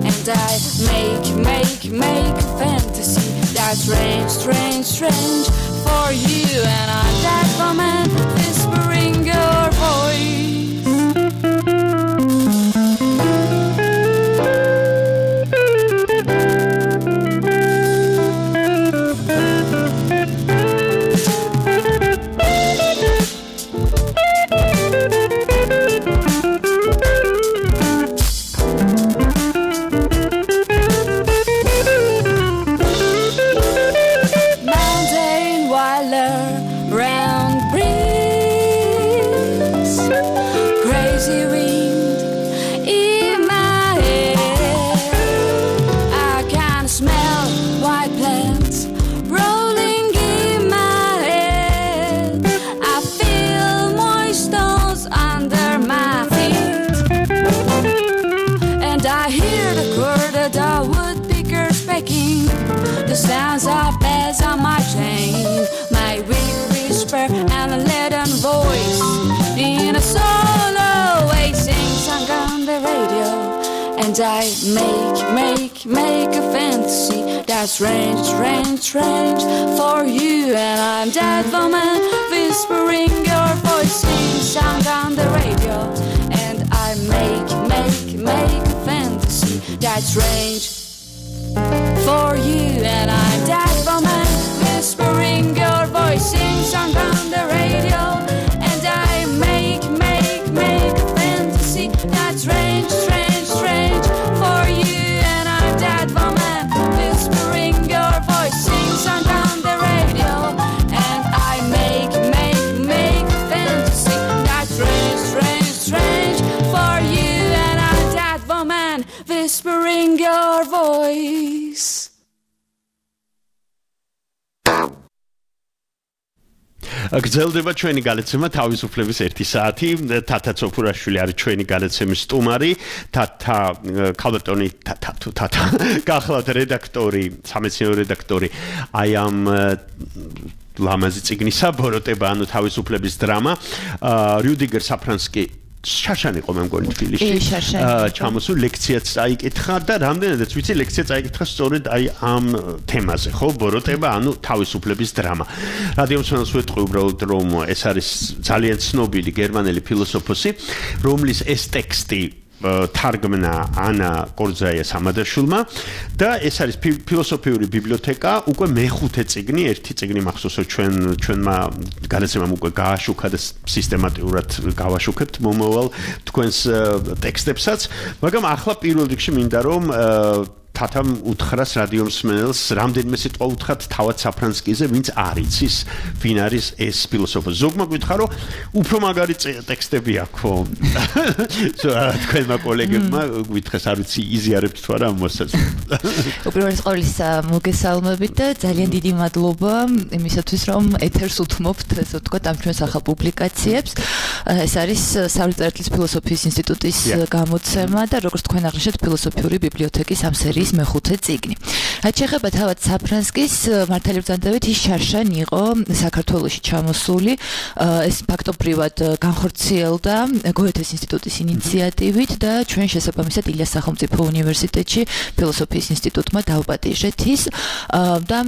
and I make a fantasy that's strange, strange, strange for you. And I'm that woman whispering your voice. The sounds of bells on my chain, my weak whisper and a leaden voice in a solo way sing song on the radio. And I make a fantasy that's strange, strange, strange for you. And I'm that woman whispering your voice sing song on the radio. And I make a fantasy that's strange for you. And I'm that woman whispering your voice sing song on the radio. And I make a fantasy that's strange, strange, strange for you. And I'm that woman whispering your voice sing song on the radio. And I make a fantasy that's strange, strange, strange for you. And I'm that woman whispering your voice გრძელდება ჩვენი გალაცემა თავისუფლების 1 საათი. თათა ცოფურაშვილი არის ჩვენი გალაცემის სტუმარი. თათა ქალბატონი თათა გახლავთ რედაქტორი, სამეცნიერო რედაქტორი აი ამ ლამაზი წიგნისა ბოროტება ანუ თავისუფლების დრამა. რიუდიგერ საფრანსკი შარშან იყო მე მგონი თბილისში. ჩამოსულ ლექციაც წაიკითხა და რამდენადაც ვიცი ლექცია წაიკითხა სწორედ აი ამ თემაზე, ხო? ბოროტება, ანუ თავისუფლების დრამა. რადიომსმენელს ვეთყვი უბრალოდ რომ ეს არის ძალიან ცნობილი გერმანელი ფილოსოფოსი, რომლის ეს ტექსტი თარგმნა ანა კორძაია სამადაშვილმა და ეს არის ფილოსოფიური ბიბლიოთეკა, უკვე მეხუთე წიგნი, ერთი წიგნი მახსოვსო ჩვენმა განაცემამ უკვე გააშუქა და სისტემატურად გავაშუქებთ მომავალ თქვენს ტექსტებსაც, მაგრამ ახლა პირველ რიგში მინდა რომ თათამ უთხრას რადიომსმენელს რამდენიმე სიტყვა უთხრათ თავად საფრანსკიზე, ვინც არ იცის, ვინ არის ეს ფილოსოფოსი. ზოგმა გითხრა რომ უფრო მაგარი ტექსტები აქვს. თქვენმა კოლეგებმა გითხრეს, არ ვიცი, იზიარებთ თუ არა ამ მოსაზრებას. უპირველეს ყოვლისა მოგესალმებით და ძალიან დიდი მადლობა იმისათვის, რომ ეთერს უთმობთ, ესე ვთქვათ, ამ ჩვენს ახალ პუბლიკაციებს. ეს არის საერთაშორისო ფილოსოფიის ინსტიტუტის გამოცემა და როგორც თქვენ აღნიშნეთ, ფილოსოფიური ბიბლიოთეკის ამ სერიის მეხუთე წიგნი. რაც შეეხება თავად საფრანსკის მართალი ბრძანდებით, ის შარშან იყო საქართველოში ჩამოსული. ეს ფაქტობრივად განხორციელდა გოეთეს ინსტიტუტის ინიციატივით და ჩვენ შესაბამისად ილიას სახელმწიფო უნივერსიტეტში ფილოსოფიის ინსტიტუტმა დაუპატიჟეთ ის და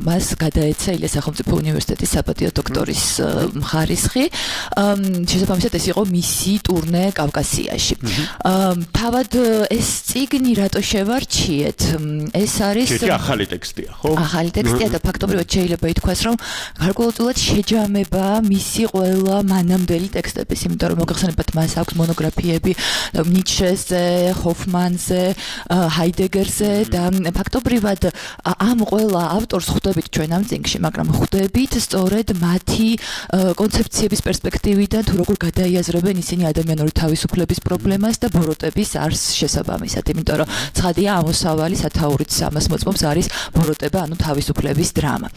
მას გადაეცა ილიას სახელმწიფო უნივერსიტეტის საპატიო დოქტორის ხარისხი. შესაბამისად ეს იყო მისი ტურნე კავკასიაში. თავად ეს წიგნი რატო შევარჩიეთ? ეს არის ახალი ტექსტია, ხო? ახალი ტექსტია და ფაქტობრივად შეიძლება ითქვას, რომ გარკვეულწილად შეჯამება მისი ყველა მანამდელი ტექსტების, იმიტომ რომ მოგეხსენებათ, მას აქვს მონოგრაფიები ნიცშეზე, ჰოფმანზე, ჰაიდეგერზე და ფაქტობრივად ამ ყველა ავტორს ხვდებით ჩვენ ამ წიგნში, მაგრამ ხვდებით სწორედ მათი კონცეფციების პერსპექტივიდან თუ როგორ გადაიაზრებენ ისინი ადამიანური თავისუფლების პრობლემას და ბოროტების არსს შესაბამისად, იმიტომ რომ ცხადია ამოსავალი სათაურით ამას მოწმობს არის ბოროტება, ანუ თავისუფლების დრამა.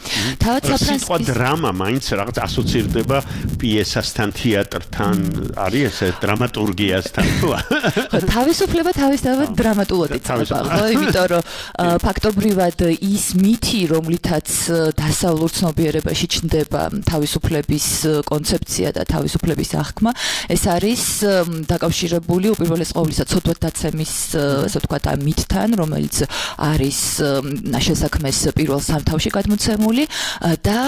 თავად საფრანსკის დრამა მაინც რაღაც ასოცირდება პიესასთან, თეატრთან, არის ესე დრამატურგიასთან თუ თავისუფლება თავისთავად დრამატულად იწყება, ხო? იმიტომ რომ ფაქტობრივად ის მითი, რომლითაც დასავლურ ცნობიერებაში ჩნდება თავისუფლების კონცეფცია და თავისუფლების აღქმა, ეს არის დაკავშირებული უპირველეს ყოვლისა ცოდვათდაცემის, ასე ვთქვათ, ამ მითთან, რომელიც არის შესაქმეს პირველ სამთავში გადმოცემული და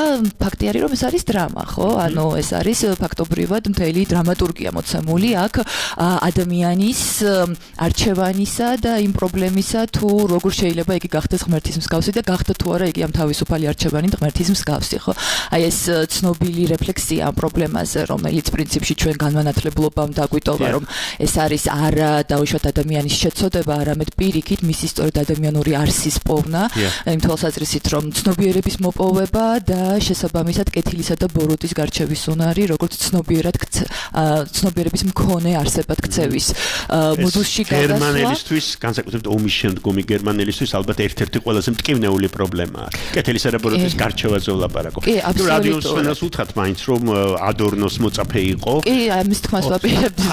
ფაქტი არის, რომ ეს არის დრამა, ხო? ანუ ეს არის ფაქტობრივად მთელი დრამატურგია მოცემული აქ ადამიანის არჩევანისა და იმ პრობლემისა, თუ როგორ შეიძლება იგი გახდეს ღმერთის მსგავსი და გახდა თუ არა იგი ამ თავისუფალი არჩევანი ღმერთის მსგავსი, ხო? აი ეს ცნობილი რეფლექსია ამ პრობლემაზე, რომელიც პრინციპში ჩვენ განმანათლებლობამ დაგვიტოვა, რომ ეს არის არა დაუშვათ ადამიანის შეცოდება, არამედ პირიქით მისი სწორედ ადამიანური არსის პოვნა, იმ თვალსაზრისით, რომ ცნობიერების მოპოვება და შესაბამისად კეთილისა და ბოროტის გარჩევის უნარი, როგორც ცნობიერების მქონე არსებად ქცევის მოდულში გადასვლა. გერმანელისთვის, განსაკუთრებით ომის შემდგომი გერმანელისთვის ალბათ ერთ-ერთი ყველაზე მტკივნეული პრობლემაა. კეთილისა და ბოროტის გარჩევაზე ვლაპარაკო. რადიოსმენელს უთხრათ მაინც, რომ ადორნოს მოწაფე იყო. კი, ამის თქმას ვაპირებდი.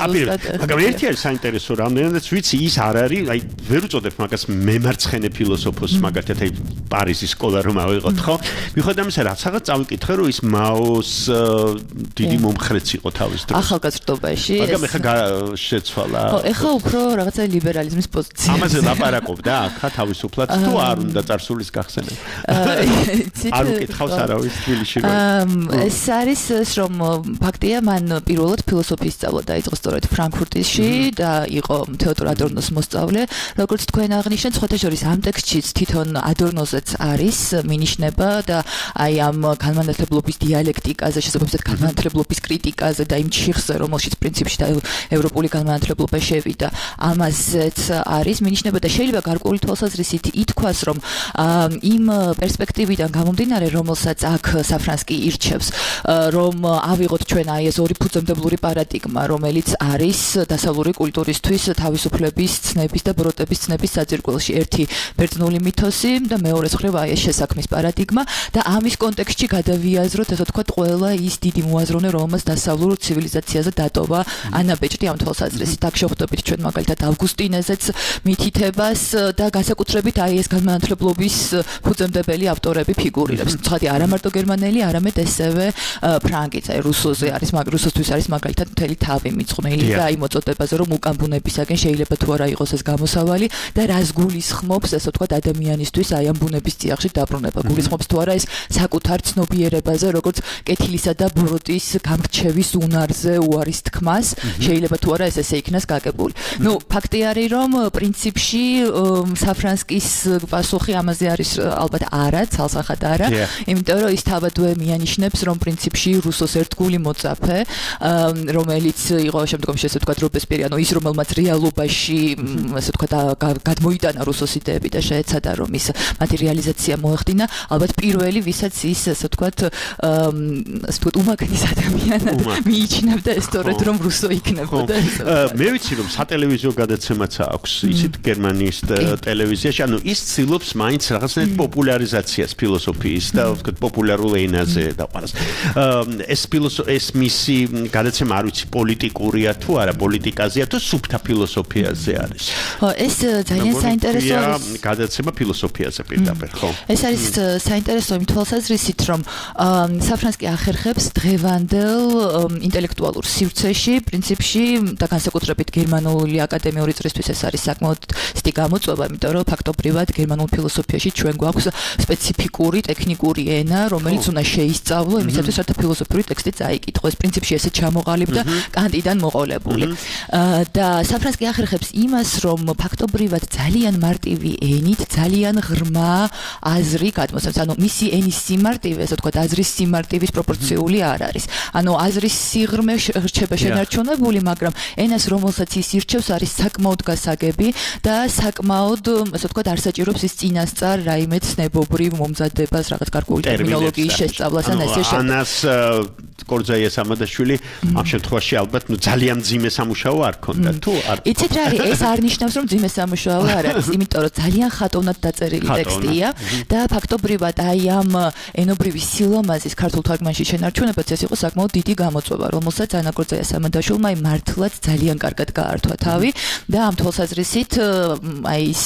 მაგრამ ერთი არის საინტერესო, რამდენადაც ვიცი, ის არ არის, აი ვერ უწოდებ მაგას მემარცხენე ფილოსოფოსს, მაგათაც აი პარიზის სკოლა რომ ავიღოთ, ხო? მიუხედავად ამისა, რაღაცა წავიკითხე, რომ ის მაოს დიდი მომხრეც იყო თავის დროს. ახალგაზრდობაში. მაგრამ ეხლა შეცვალა. ხო, ეხლა უფრო რაღაცა ლიბერალიზმის პოზიცია. ამაზე ლაპარაკობდა აქა თავისუფლად თუ არ უნდა წარსულის გახსენება? არ უკითხავს არავის თბილისში. ეს არის ეს, რომ ფაქტია, მან პირველად ფილოსოფიის სწავლა დაიწყო სწორედ ფრანკფურტში და იყო თეოდორ ადორნოს მოსწავლე. როგორც თქვენ აღნიშნეთ, სხვათა შორის ამ ტექსტშიც თვითონ ადორნოზეც არის მინიშნება და აი ამ განმანათლებლობის დიალექტიკაზე, შესაბამისად განმანათლებლობის კრიტიკაზე და იმ ჩიხზე, რომელშიც პრინციპში და ევროპული განმანათლებლობა შევიდა, ამაზეც არის მინიშნება და შეიძლება გარკვეული თვალსაზრისით ითქვას, რომ იმ პერსპექტივიდან გამომდინარე, რომელსაც აქ საფრანსკი ირჩევს, რომ ავიღოთ ჩვენ აი ეს ორი ფუძემდებლური პარადიგმა, რომელიც არის დასავლური კულტურისთვის თავისუფლების ცნების და ბოროტების ცნების საძირკველში. ნაწილში ერთი ბერძნული მითოსი და მეორეც მხრივ აი ეს შესაქმის პარადიგმა და ამის კონტექსტში გადავიაზროთ ასე ვთქვათ ყველა ის დიდი მოაზროვნე რომელმაც დასავლურ ცივილიზაციაზე დატოვა ანა ბეჭდი ამ თვალსაზრისით აქ შევხვდებით ჩვენ მაგალითად ავგუსტინეზეც მითითებას და განსაკუთრებით აი ეს განმანათლებლობის ფუძემდებელი ავტორები ფიგურირებს ცხადი არა მარტო გერმანელი არამედ ესევე ფრანგიც აი რუსოზე არის რუსოსთვის არის მაგალითად მთელი თავი მიწყვნილი და აი მოწოდებაზე რომ უკან ბუნებისაგენ შეიძლება თუ არა იყოს ეს გამოსავალი და რას გულისხმობს ასე ვთქვათ ადამიანისთვის აი ამ ბუნების წიაღში დაბრუნება გულისხმობს თუ არა ეს საკუთარ ცნობიერებაზე როგორც კეთილისა და ბოროტის გამრჩევის უნარზე უარის თქმას შეიძლება თუ არა ეს ესე იქნას გაკებული ნუ ფაქტი არის რომ პრინციპში საფრანსკის პასუხი ამაზე არის ალბათ არა ცალსახად არა იმიტომ რომ ის თავადვე მიანიშნებს რომ პრინციპში რუსოს ერთგული მოწაფე რომელიც იყო შემდგომში ესე ვთქვათ რობესპიერი ანუ ის რომელმაც რეალობაში ასე ვთქვათ გადმოიტანა რუსოს იდეები და შეეცადა რომ ის მატერიალიზაცია მოეხდინა ალბათ პირველი ვისაც ის ასე ვთქვათ უმაგნის ადამიანად მიიჩნევდა სწორედ რომ რუსო იქნებოდა მე ვიცი რომ სატელევიზიო გადაცემაც აქვს ისეთ გერმანიის ტელევიზიაში ანუ ის ცდილობს მაინც რაღაცნაირად პოპულარიზაციას ფილოსოფიის და ვთქვათ პოპულარულ ენაზე და ყველას ეს მისი გადაცემა არ ვიცი პოლიტიკურია თუ არა პოლიტიკაზეა თუ სუფთა ფილოსოფიაზე არის ეს ძალიან საინტერესო არის გადაცემა ფილოსოფიაზე პირდაპირ ხო ეს არის საინტერესო იმ თვალსაზრისით რომ საფრანსკი ახერხებს დღევანდელ ინტელექტუალურ სივრცეში პრინციპში და განსაკუთრებით გერმანული აკადემიური წრისთვის ეს არის საკმაოდ ცივი გამოწვევა იმიტომ რომ ფაქტობრივად გერმანულ ფილოსოფიაში ჩვენ გვაქვს სპეციფიკური ტექნიკური ენა რომელიც უნდა შეისწავლო იმისათვის რათა ფილოსოფიური ტექსტი წაიკითხოს პრინციპში ესე ჩამოყალიბდა კანტიდან მოყოლებული და საფრანსკი ახერხებს იმას რომ ფაქტობრივად ძალიან მარტივი ენით ძალიან ღრმა აზრი გადმოსცემს ანუ მისი ენის სიმარტივე ასე ვთქვათ აზრის სიმარტივის პროპორციული არ არის ანუ აზრის სიღრმე რჩება შენარჩუნებული მაგრამ ენას რომელსაც ის ირჩევს არის საკმაოდ გასაგები და საკმაოდ ასე ვთქვათ არ საჭიროებს ის წინასწარ რაიმე ცნებობრივ მომზადებას რაღაც გარკვეული ტერმინოლოგიის შესწავლას ან ესე შემდეგ ანას კორძაიას ამადაშვილი ამ შემთხვევაში ალბათ ძალიან ძიმე სამუშაო არ ქონდა თუ არ იცით რა არის ეს არ ნიშნავს რომ ძიმე სამუშაო არ არის იმიტომ რომ ძალიან ხატოვნად დაწერილი ტექსტია და ფაქტობრივად აი ამ ენობრივი სილამაზის ქართულ თარგმანში შენარჩუნებაც ეს იყო საკმაოდ დიდი გამოწვევა რომელსაც ანა კორძაიას ამადაშვილმა მართლაც ძალიან კარგად გაართვა თავი და ამ თვალსაზრისით აი ის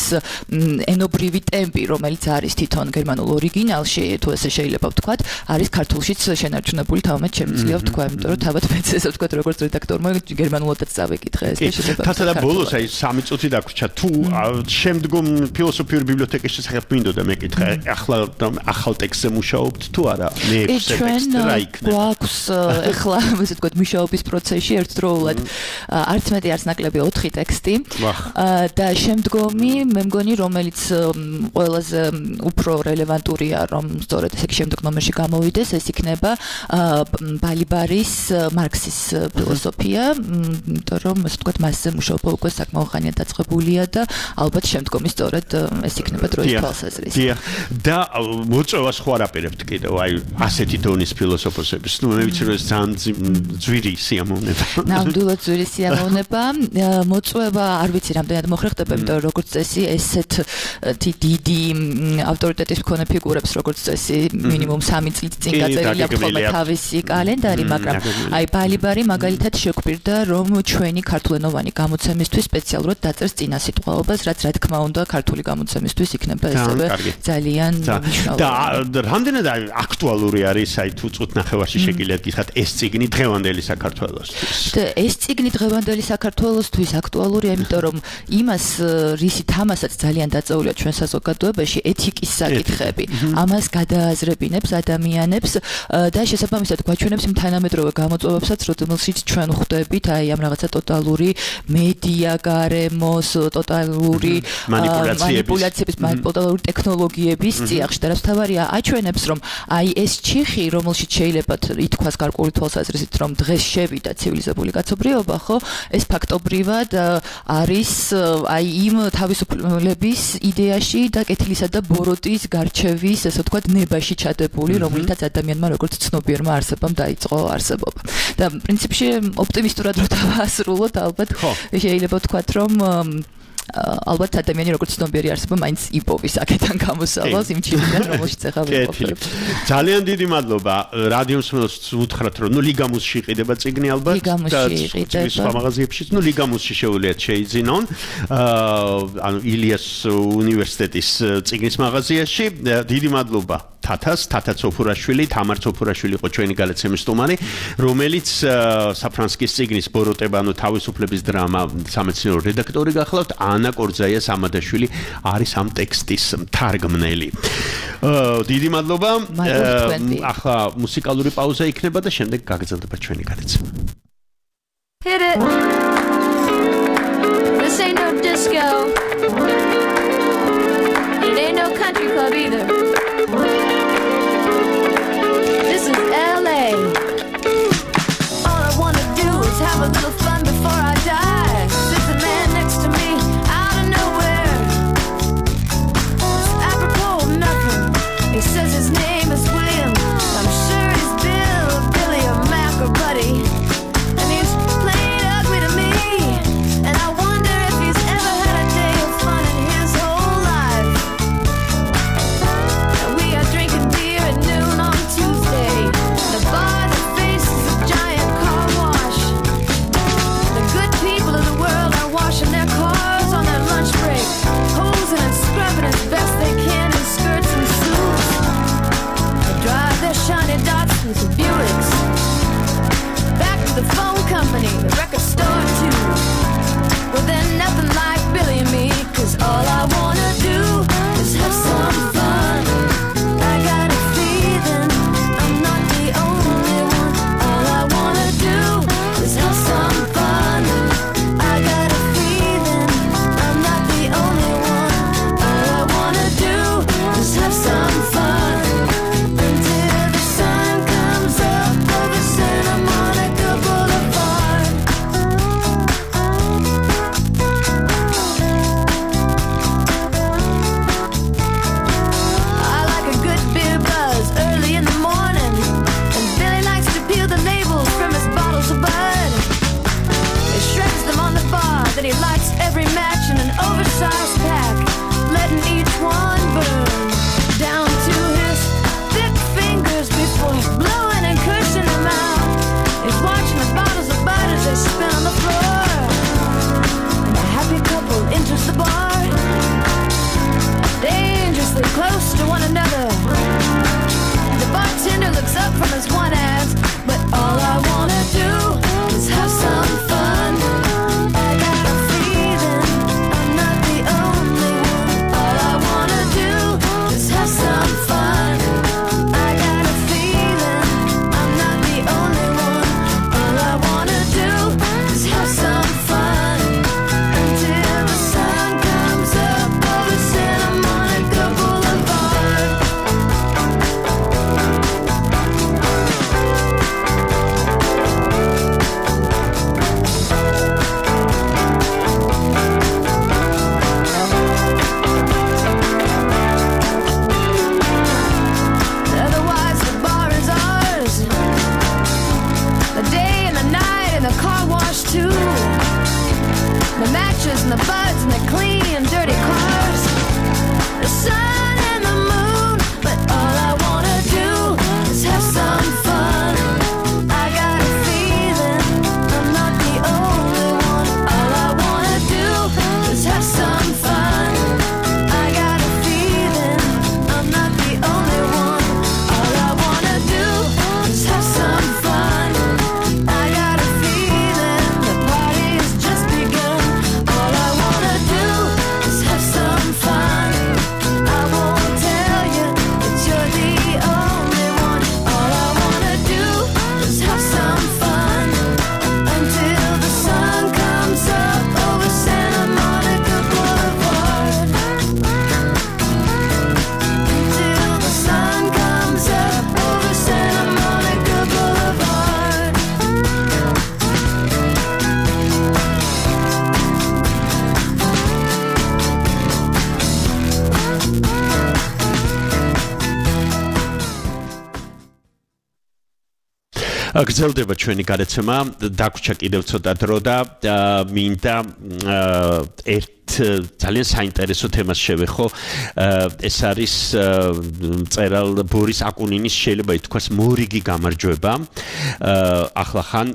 ენობრივი ტემპი რომელიც არის თვითონ გერმანულ ორიგინალში თუ ესე შეიძლება ვთქვათ არის ქართულშიც შენარჩუნებული თამამად შემიძლია ვთქვა იმიტომ რომ თავად მეც ესე ვთქვათ როგორც რედაქტორმა გერმანულადაც წავეკითხე ეს და შეიძლება თათა და ბოლოს აი 3 წუთი დაგვრჩა თუ შემდგომ ფილოსოფიური ბიბლიოთეკის შესახებ მინდოდა მეკითხა ახალ ტექსტზე მუშაობთ თუ არა მე ჩვენ გვაქვს ახლა ესე ვთქვათ მუშაობის პროცესში ერთდროულად არც მეტი არც ნაკლები 4 ტექსტი და შემდგომი მე მგონი რომელიც ყველაზე უფრო რელევანტურია რომ სწორედ ესე შემდეგ ნომერში გამოვიდეს ეს იქნება ბალიბარის მარქსის ფილოსოფია იმიტომ რომ ასე ვთქვათ მასზე მუშაობა უკვე საკმაოდ ხანია დაწყებულია და ალბათ შემდგომი სწორედ ეს იქნება დროის თვალსაზრისით და მოწვევას ხო არაპირებთ კიდევ აი ასეთი დონის ფილოსოფოსების ნუ მე ვიცი რომ ეს ძალიან ძვირი სიამოვნება ნამდვილად ძვირი სიამოვნება მოწვევა არ ვიცი რამდენად მოხერხდება იმიტომ რომ როგორც წესი ესეთ დიდი ავტორიტეტის მქონე ფიგურებს როგორც წესი მინიმუმ 3 წლით წინ გაწერილი აქვს ხოლმე თავისი კალენდარი მაგრამ აი ბალიბარი მაგალითად შეგვპირდა რომ ჩვენი ქართულენოვანი გამოცემისთვის სპეციალურად დაწერს წინასიტყვაობას რაც რა თქმა უნდა ქართული გამოცემისთვის იქნება ესევე ძალიან მნიშვნელოვანი და რამდენად აქტუალური არის აი თუ წუთ ნახევარში შეგიძლიათ გითხრათ ეს წიგნი დღევანდელი საქართველოსთვის და ეს წიგნი დღევანდელი საქართველოსთვის აქტუალურია იმიტომ რომ იმას რისი თამასაც ძალიან დაწეულია ჩვენ საზოგადოებაში ეთიკის საკითხები ამას გადააზრებინებს ადამიანებს და შესაბამისად გვაჩვენებს იმ თანამედროვე გამოწვევებსაც რომელშიც ჩვენ ხვდებით აი ამ რაღაცა ტოტალური მედია გარემოს ტოტალური მანიპულაციების ტოტალური ტექნოლოგიების წიაღში და რაც თავარია აჩვენებს რომ აი ეს ჩიხი რომელშიც შეიძლება ითქვას გარკვეული თვალსაზრისით რომ დღეს შევიდა ცივილიზებული კაცობრიობა ხო ეს ფაქტობრივად არის აი იმ თავისუფლების იდეაში და კეთილისა და ბოროტის გარჩევის ესე ვთქვათ ნებაში ჩადებული რომლითაც ადამიანმა როგორც ცნობიერმა არსებამ დაიწყო არსებობა და პრინციპში ოპტიმისტურად რო დავასრულოთ ალბათ შეიძლება ვთქვათ რომ ალბათ ადამიანი როგორც ცნობიერი არსება მაინც იპოვის აქედან გამოსავალს იმ ჩილიდან რომელშიც ახლა ვიყავ. ძალიან დიდი მადლობა რადიო მსმენელს უთხრათ რომ ლიგამუსში იყიდება წიგნი ალბათ და სხვა მაღაზიებშიც ლიგამუსში შეუძლიათ შეიძინონ ანუ ილიას უნივერსიტეტის წიგნის მაღაზიაში დიდი მადლობა თათა ცოფურაშვილი თამარ ცოფურაშვილი იყო ჩვენი გადაცემის სტუმარი რომელიც საფრანსკის წიგნის ბოროტება ანუ თავისუფლების დრამა სამეცნიერო რედაქტორი გახლავთ ანა კორძაია სამადაშვილი არის ამ ტექსტის თარგმნელი დიდი მადლობა ახლა მუსიკალური პაუზა იქნება და შემდეგ გაგრძელდება ჩვენი გადაცემა Hit it This ain't no disco It ain't no country club either This is LA All I wanna do is have a little fun before I die There's a man next to me out of nowhere It's apropos of nothing He says his name is William I'm sure he's Bill or Billy or Mac or Buddy And he's plain ugly to me And I wonder if he's ever had a day of fun in his whole life And we are drinking beer at noon on Tuesday The bar that faces a giant car wash The good people of the world are washing their cars on their lunch break Hosing and scrubbing as best they can in skirts and suits They drive their shiny Datsuns and Buicks Back to the phone company, the record store too Well they're nothing like Billy and me Cause all I wanna do is have some fun I got a feeling I'm not the only one All I wanna do is have some fun I got a feeling I'm not the only one All I wanna do is have some fun Until the sun comes up over Santa Monica Boulevard I like a good beer buzz early in the morning And Billy likes to peel the labels from his bottles of bud He shreds them on the bar Then he lights every match in an oversized pack Letting each one burn Down to his thick fingers Before blowing and cursing them out He's watching the bottles of bud as they spin on the floor And a happy couple enters the bar Dangerously close to one another The bartender looks up from his one ass But all I wanna do is have some fun I got a feeling I'm not the only one All I wanna do is have some fun I got a feeling I'm not the only one All I wanna do is have some fun Until the sun comes up over Santa Monica Boulevard Otherwise the bar is ours The day and the night and the car wash too The matches and the buds and the clean dirty cars The sun and the moon But all I wanna do is have some fun I got a feeling I'm not the only one All I wanna do is have some fun I got a feeling I'm not the only one All I wanna do is have some fun I got a feeling the party has just begun All I wanna do is have some fun I won't tell you that you're the only one All I wanna do is have some fun Until the sun comes up over Santa Monica Boulevard Until the sun comes up over Santa Monica Boulevard გრძელდება ჩვენი გადაცემა, დაგვრჩა კიდევ ცოტა დრო და მინდა ერთ ძალიან საინტერესო თემას შევეხო. ეს არის მწერალ ბორის აკუნინის შეიძლება ითქვას მორიგი გამარჯვება. ახლახან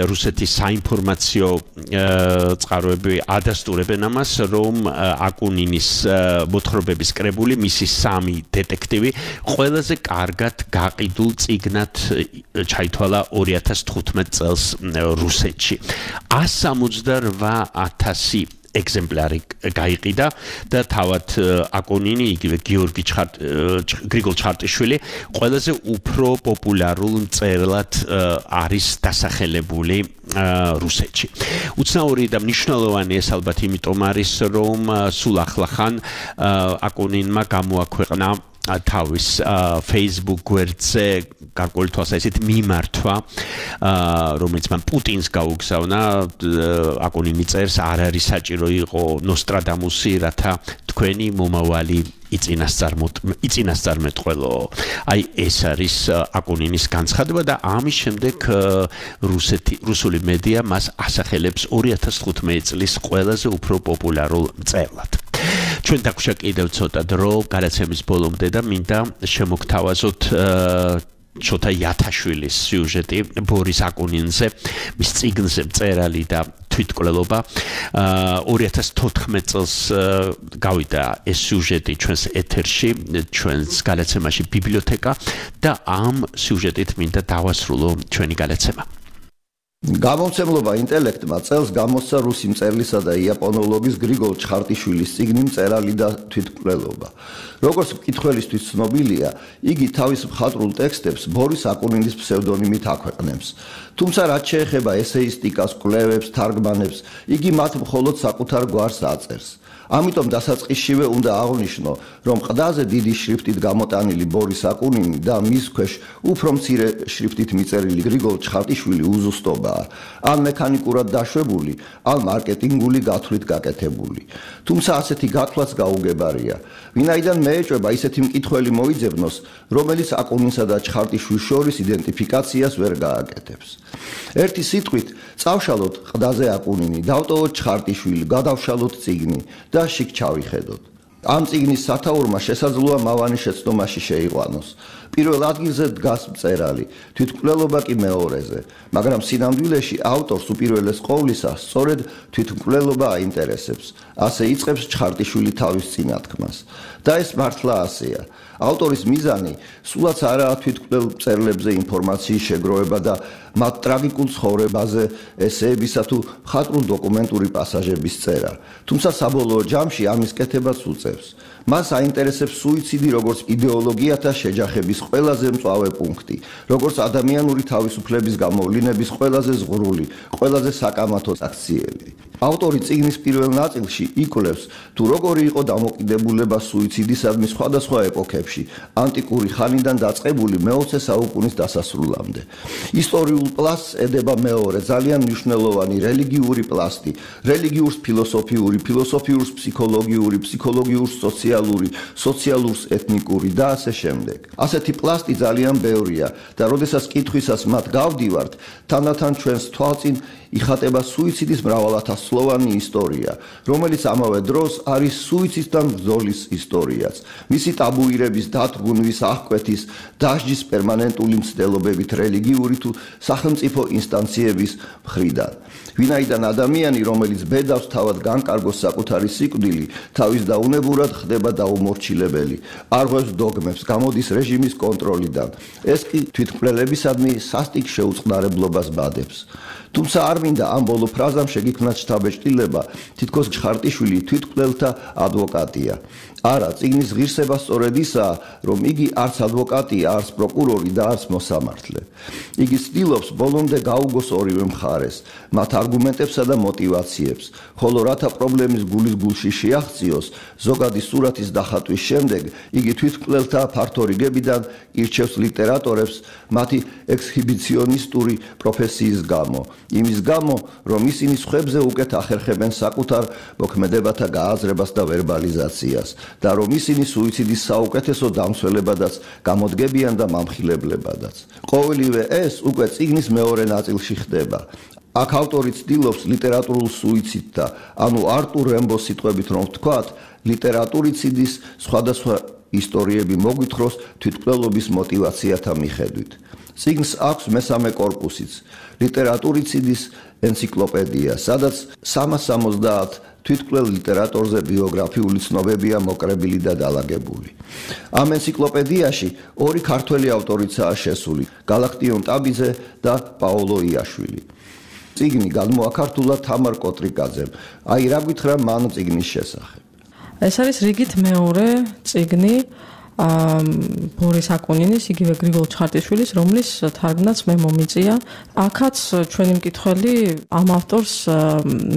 რუსეთის საინფორმაციო წყაროები ადასტურებენ ამას, რომ აკუნინის მოთხრობების კრებული მისი 3 დეტექტივი ყველაზე კარგად გაყიდულ წიგნად ჩაითვალა 2015 წელს რუსეთში. 168,000 ეგზემპლარი გაიყიდა და თავად აკუნინი იგივე გრიგოლ ჩარტიშვილი ყველაზე უფრო პოპულარულ მწერლად არის დასახელებული რუსეთში. უცნაური და მნიშვნელოვანი ეს ალბათ იმიტომ არის, რომ სულ ახლახან აკუნინმა გამოაქვეყნა თავის Facebook გვერდზე გარკვეული თვალსაზრისით მიმართვა, რომელიც მან პუტინს გაუგზავნა. აკუნინი წერს, არ არის საჭირო იყო ნოსტრადამუსი, რათა თქვენი მომავალი იწინასწარმეტყველო. აი ეს არის აკუნინის განცხადება და ამის შემდეგ რუსული მედია მას ასახელებს 2015 წლის ყველაზე უფრო პოპულარულ მწერლად. ჩვენ დაგვშა კიდევ ცოტა დრო გადაცემის ბოლომდე და მინდა შემოგთავაზოთ შოთა იათაშვილის სიუჟეტი ბორის აკუნინზე, მის წიგნზე მწერალი და თვითკვლელობა. 2014 წელს გავიდა ეს სიუჟეტი ჩვენს ეთერში, ჩვენს გადაცემაში ბიბლიოთეკა და ამ სიუჟეტით მინდა დავასრულო ჩვენი გადაცემა. გამომცემლობა ინტელექტმა წელს გამოსცა რუსი მწერლისა და იაპონოლოგის გრიგოლ ჩხარტიშვილის წიგნი მწერალი და თვითკვლელობა. როგორც მკითხველისთვის ცნობილია, იგი თავის მხატვრულ ტექსტებს ბორის აკუნინის ფსევდონიმით აქვეყნებს. თუმცა რაც შეეხება ესეისტიკას, კვლევებს, თარგმანებს, იგი მათ მხოლოდ საკუთარ გვარს აწერს. ამიტომ დასაწყისშივე უნდა აღვნიშნო, რომ ყდაზე დიდი შრიფტით გამოტანილი ბორის აკუნინი და მის ქვეშ უფრო მცირე შრიფტით მიწერილი გრიგოლ ჩხარტიშვილი უზუსტობაა, ან მექანიკურად დაშვებული, ან მარკეტინგული გათვლით გაკეთებული. თუმცა ასეთი გათვლაც გაუგებარია. ვინაიდან მეეჭვება ისეთი მკითხველი მოიძებნოს, რომელიც აკუნინსა და ჩხარტიშვილის შორის იდენტიფიკაციას ვერ გააკეთებს. ერთი სიტყვით, წავშალოთ ყდაზე აკუნინი, დავტოვოთ ჩხარტიშვილი, გადავშალოთ წიგნი და შიგ ჩავიხედოთ. ამ წიგნის სათაურმა შესაძლოა მავანი შეცდომაში შეიყვანოს. პირველ ადგილზე დგას მწერალი, თვითმკვლელობა კი მეორეზე, მაგრამ სინამდვილეში ავტორს უპირველეს ყოვლისა სწორედ თვითმკვლელობა აინტერესებს. ასე იწყებს ჩხარტიშვილი თავის წინათქმას. და ეს მართლა ასეა. ავტორის მიზანი სულაც არაა თვითმკვლელ მწერლებზე ინფორმაციის შეგროვება და მათ ტრაგიკულ ცხოვრებაზე ესეებისა თუ მხატვრულ დოკუმენტური პასაჟების წერა. თუმცა საბოლოო ჯამში ამის კეთებაც უწევს. მას აინტერესებს სუიციდი როგორც იდეოლოგიათა შეჯახების ყველაზე მწვავე პუნქტი, როგორც ადამიანური თავისუფლების გამოვლინების ყველაზე ზღვრული, ყველაზე საკამათო აქციელი. ავტორი წიგნის პირველ ნაწილში იკვლევს, თუ როგორი იყო დამოკიდებულება სუიციდისადმი სხვადასხვა ეპოქებში, ანტიკური ხანიდან დაწყებული მე-20 საუკუნის დასასრულამდე. ისტორიულ პლასტს ედება მეორე ძალიან მნიშვნელოვანი რელიგიური პლასტი, რელიგიურს ფილოსოფიური, ფილოსოფიურს ფსიქოლოგიური, ფსიქოლოგიურს სოციალური, სოციალურს ეთნიკური და ასე შემდეგ. ასეთი პლასტი ძალიან ბევრია და როდესაც კითხვისას მათ გავდივართ, თანდათან ჩვენს თვალწინ იხატება სუიციდის მრავალათასწლოვანი ისტორია, რომელიც ამავე დროს არის სუიციდთან ბრძოლის ისტორიაც. მისი ტაბუირების, დათრგუნვის, აღკვეთის, დასჯის პერმანენტული მცდელობებით რელიგიური თუ სახელმწიფო ინსტანციების მხრიდან. ვინაიდან ადამიანი, რომელიც ბედავს თავად განკარგოს საკუთარი სიკვდილი, თავის დაუნებურად ხდება დაუმორჩილებელი, არღვევს დოგმებს, გამოდის რეჟიმის კონტროლიდან. ეს კი თვითმკვლელებისადმი სასტიკ შეუწყნარებლობას ბადებს. თუმცა არ მინდა ამ ბოლო ფრაზამ შეგიქმნათ შთაბეჭდილება, თითქოს ჩხარტიშვილი თვითმკვლელთა ადვოკატია. არა, წიგნის ღირსება სწორედ ისაა, რომ იგი არც ადვოკატია, არც პროკურორი და არც მოსამართლე. იგი ცდილობს ბოლომდე გაუგოს ორივე მხარეს, მათ არგუმენტებსა და მოტივაციებს, ხოლო რათა პრობლემის გულის გულში შეაღწიოს, ზოგადი სურათის დახატვის შემდეგ, იგი თვითმკვლელთა ფართო რიგებიდან ირჩევს ლიტერატორებს მათი ექსჰიბიციონისტური პროფესიის გამო. იმის გამო, რომ ისინი სხვებზე უკეთ ახერხებენ საკუთარ მოქმედებათა გააზრებას და ვერბალიზაციას და რომ ისინი სუიციდის საუკეთესო დამცველებადაც გამოდგებიან და მამხილებლებადაც. ყოველივე ეს უკვე წიგნის მეორე ნაწილში ხდება. აქ ავტორი ცდილობს ლიტერატურულ სუიციდთა, ანუ არტურ რემბოს სიტყვებით რომ ვთქვათ, ლიტერატურიციდის სხვადასხვა ისტორიები მოგვითხროს თვითმკვლელობის мотиваციათა მიხედვით. წიგნს აქვს მესამე კორპუსიც, ლიტერატურიციდის ენციკლოპედია, სადაც 370 თვითმკვლელ ლიტერატორზე ბიოგრაფიული ცნობებია მოკრებილი და დალაგებული. ამ ენციკლოპედიაში ორი ქართველი ავტორიცაა შესული, გალაქტიონ ტაბიძე და პაოლო იაშვილი. წიგნი გადმოაქართულა თამარ კოტრიკაძემ. აი რა გითხრა მან წიგნის შესახებ. ეს არის რიგით მეორე წიგნი ბორის აკუნინის, იგივე გრიგოლ ჩხარტიშვილის, რომლის თარგმნაც მე მომიწია. აქაც ჩვენი მკითხველი ამ ავტორს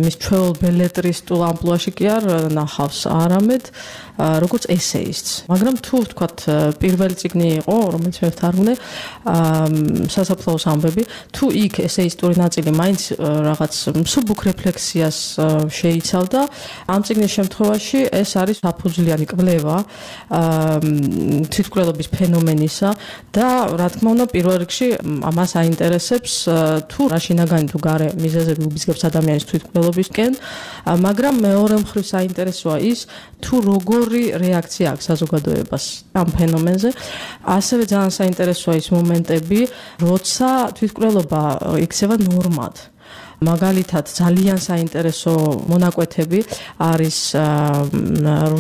მის ჩვეულ ბელეტრისტულ ამპლუაში კი არ ნახავს, არამედ როგორც ესეისტს. მაგრამ თუ ვთქვათ პირველი წიგნი იყო, რომელიც მე ვთარგმნე, სასაფლაოს ამბები, თუ იქ ესეისტური ნაწილი მაინც რაღაც მსუბუქ რეფლექსიას შეიცავდა, ამ წიგნის შემთხვევაში ეს არის საფუძვლიანი კვლევა თვითმკვლელობის ფენომენისა და რა თქმა უნდა პირველ რიგში ამას აინტერესებს თუ რა შინაგანი თუ გარე მიზეზები უბიძგებს ადამიანის თვითმკვლელობისკენ, მაგრამ მეორე მხრივ საინტერესოა ის თუ როგორი რეაქცია აქვს საზოგადოებას ამ ფენომენზე. ასევე ძალიან საინტერესოა ის მომენტები, როცა თვითმკვლელობა იქცევა ნორმად. მაგალითად ძალიან საინტერესო მონაკვეთები არის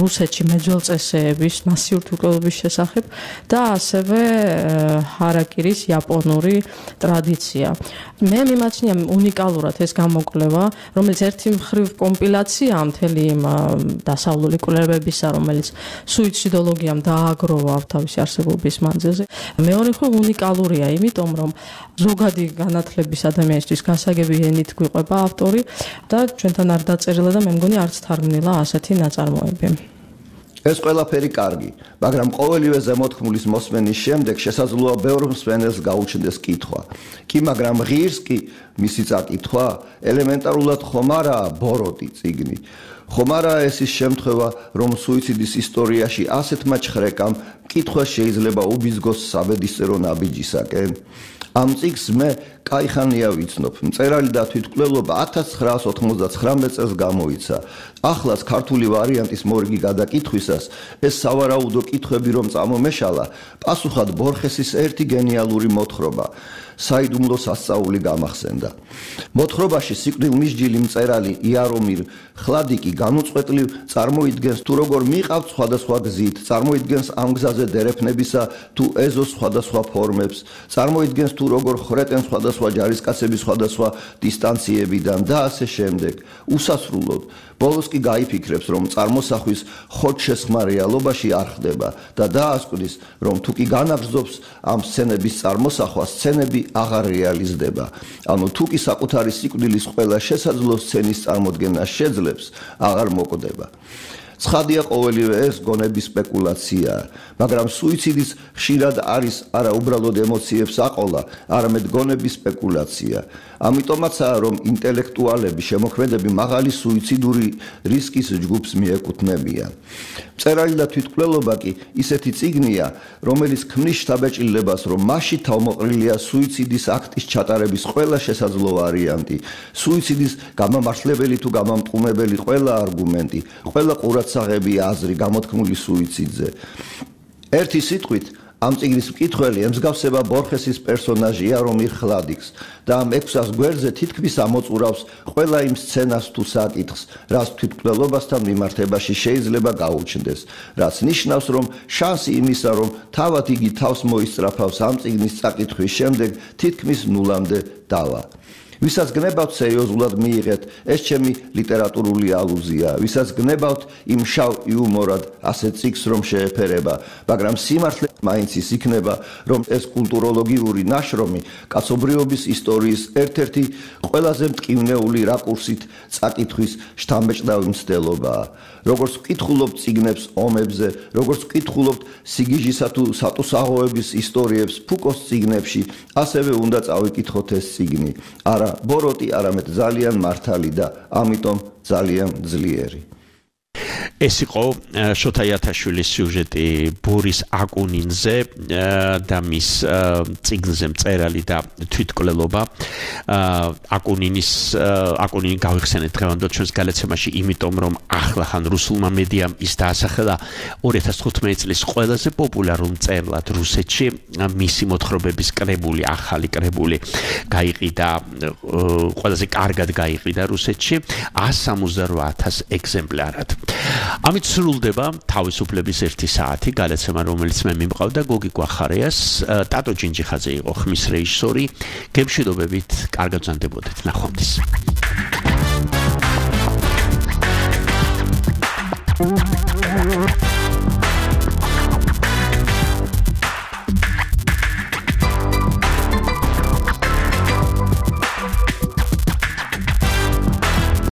რუსეთში მეძველწესეების მასიური თვითმკვლელობის შესახებ და ასევე ჰარაკირის იაპონური ტრადიცია. მე მიმაჩნია უნიკალურად ეს გამოკვლევა, რომელიც ერთი მხრივ კომპილაციაა მთელი იმ დასავლური კვლევებისა, რომელიც სუიციდოლოგიამ დააგროვა თავისი არსებობის მანძილზე. მეორე მხრივ უნიკალურია, იმიტომ რომ ზოგადი განათლების ადამიანისთვის გასაგები ენით გვიყვება ავტორი და ჩვენთან არ დაწერილა და მე მგონი არც თარგმნილა ასეთი ნაწარმოები. ეს ყველაფერი კარგი, მაგრამ ყოველივე ზემოთქმულის მოსმენის შემდეგ შესაძლოა ბევრ მსმენელს გაუჩნდეს კითხვა. კი, მაგრამ ღირს კი მისი წაკითხვა ელემენტარულად ხომ არაა ბოროტი წიგნი. ხომ არაა ეს ის შემთხვევა, რომ სუიციდის ისტორიაში ასეთმა ჩხრეკამ კითხვა შეიძლება უბიძგოს საბედისწერო ნაბიჯისაკენ. ამ წიგნს მე კაიხანია ვიცნობ. მწერალი და თვითმკვლელობა 1999 წელს გამოიცა. ახლაც ქართული ვარიანტის მორიგი გადაკითხვისას ეს სავარაუდო კითხვები რომ წამომეშალა, პასუხად ბორხესის ერთი გენიალური მოთხრობა. საიდუმლო სასწაული გამახსენდა. მოთხრობაში სიკვდილმისჯილი მწერალი იარომირ ხლადიკი განუწყვეტლივ წარმოიდგენს თუ როგორ მიყავთ სხვადასხვა გზით, წარმოიდგენს ამ გზაზე დერეფნებისა თუ ეზოს სხვადასხვა ფორმებს, წარმოიდგენს თუ როგორ ხრეტენ სხვადასხვა ჯარისკაცები სხვადასხვა დისტანციებიდან და ასე შემდეგ. უსასრულოდ ბოლოს კი გაიფიქრებს, რომ წარმოსახვის ხოთშესხმა რეალობაში არ ხდება და დაასკვნის, რომ თუ კი განაგრძობს ამ სცენების წარმოსახვა, სცენები აღარ რეალიზდება. ანუ თუ კი საკუთარი სიკვდილის ყველა შესაძლო სცენის წარმოდგენა შეძლებს, აღარ მოკვდება. ცხადია ყოველივე ეს გონების სპეკულაციაა, მაგრამ სუიციდის ხშირად არის არა უბრალოდ ემოციებს აყოლა, არამედ გონების სპეკულაცია. ამიტომაცაა, რომ ინტელექტუალები, შემოქმედები მაღალი სუიციდური რისკის ჯგუფს მიეკუთვნებიან. მწერალი და თვითმკვლელობა კი ისეთი წიგნია, რომელიც ქმნის შთაბეჭდილებას, რომ მასში თავმოყრილია სუიციდის აქტის ჩატარების ყველა შესაძლო ვარიანტი, სუიციდის გამამართლებელი თუ გამამტყუნებელი ყველა არგუმენტი, ყველა ყურადსაღები აზრი გამოთქმული სუიციდზე. ერთი სიტყვით ამ წიგნის მკითხველი ემსგავსება ბორხესის პერსონაჟ იარომირ ხლადიკს და ამ 600 გვერდზე თითქმის ამოწურავს ყველა იმ სცენას თუ საკითხს, რაც თვითმკვლელობასთან მიმართებაში შეიძლება გაუჩნდეს, რაც ნიშნავს, რომ შანსი იმისა, რომ თავად იგი თავს მოისწრაფავს ამ წიგნის წაკითხვის შემდეგ, თითქმის ნულამდე დავა. ვისაც გნებავთ სერიოზულად მიიღეთ, ეს ჩემი ლიტერატურული ალუზია, ვისაც გნებავთ იმ შავ იუმორად ასეთ წიგნს რომ შეეფერება, მაგრამ სიმართლე მაინც ის იქნება, რომ ეს კულტუროლოგიური ნაშრომი კაცობრიობის ისტორიის ერთ-ერთი ყველაზე მტკივნეული რაკურსით წაკითხვის შთამბეჭდავი მცდელობაა. როგორც ვკითხულობთ წიგნებს ომებზე, როგორც ვკითხულობთ სიგიჟისა თუ სატუსაღოების ისტორიებს ფუკოს წიგნებში, ასევე უნდა წავიკითხოთ ეს წიგნი. არა ბოროტი, არამედ ძალიან მართალი და ამიტომ ძალიან ძლიერი. ეს იყო შოთა იათაშვილის სიუჟეტი ბორის აკუნინზე და მის წიგნზე მწერალი და თვითკვლელობა აკუნინი გავიხსენეთ დღევანდელ ჩვენს გადაცემაში, იმიტომ რომ ახლა ხან რუსულმა მედიამ ის დაასახელა 2015 წლის ყველაზე პოპულარულ მწერლად რუსეთში. მისი მოთხრობების კრებული, ახალი კრებული გაიყიდა, ყველაზე კარგად გაიყიდა რუსეთში 168,000 ეგზემპლარად. ამით სრულდება თავისუფლების 1 საათი, გადაცემა, რომელიც მე მიმყავდა გოგი გვახარიას, ტატო ჯინჯიხაძე იყო ხმის რეჟისორი. გემშვიდობებით, კარგად ვზანდებოდეთ, ნახვამდის.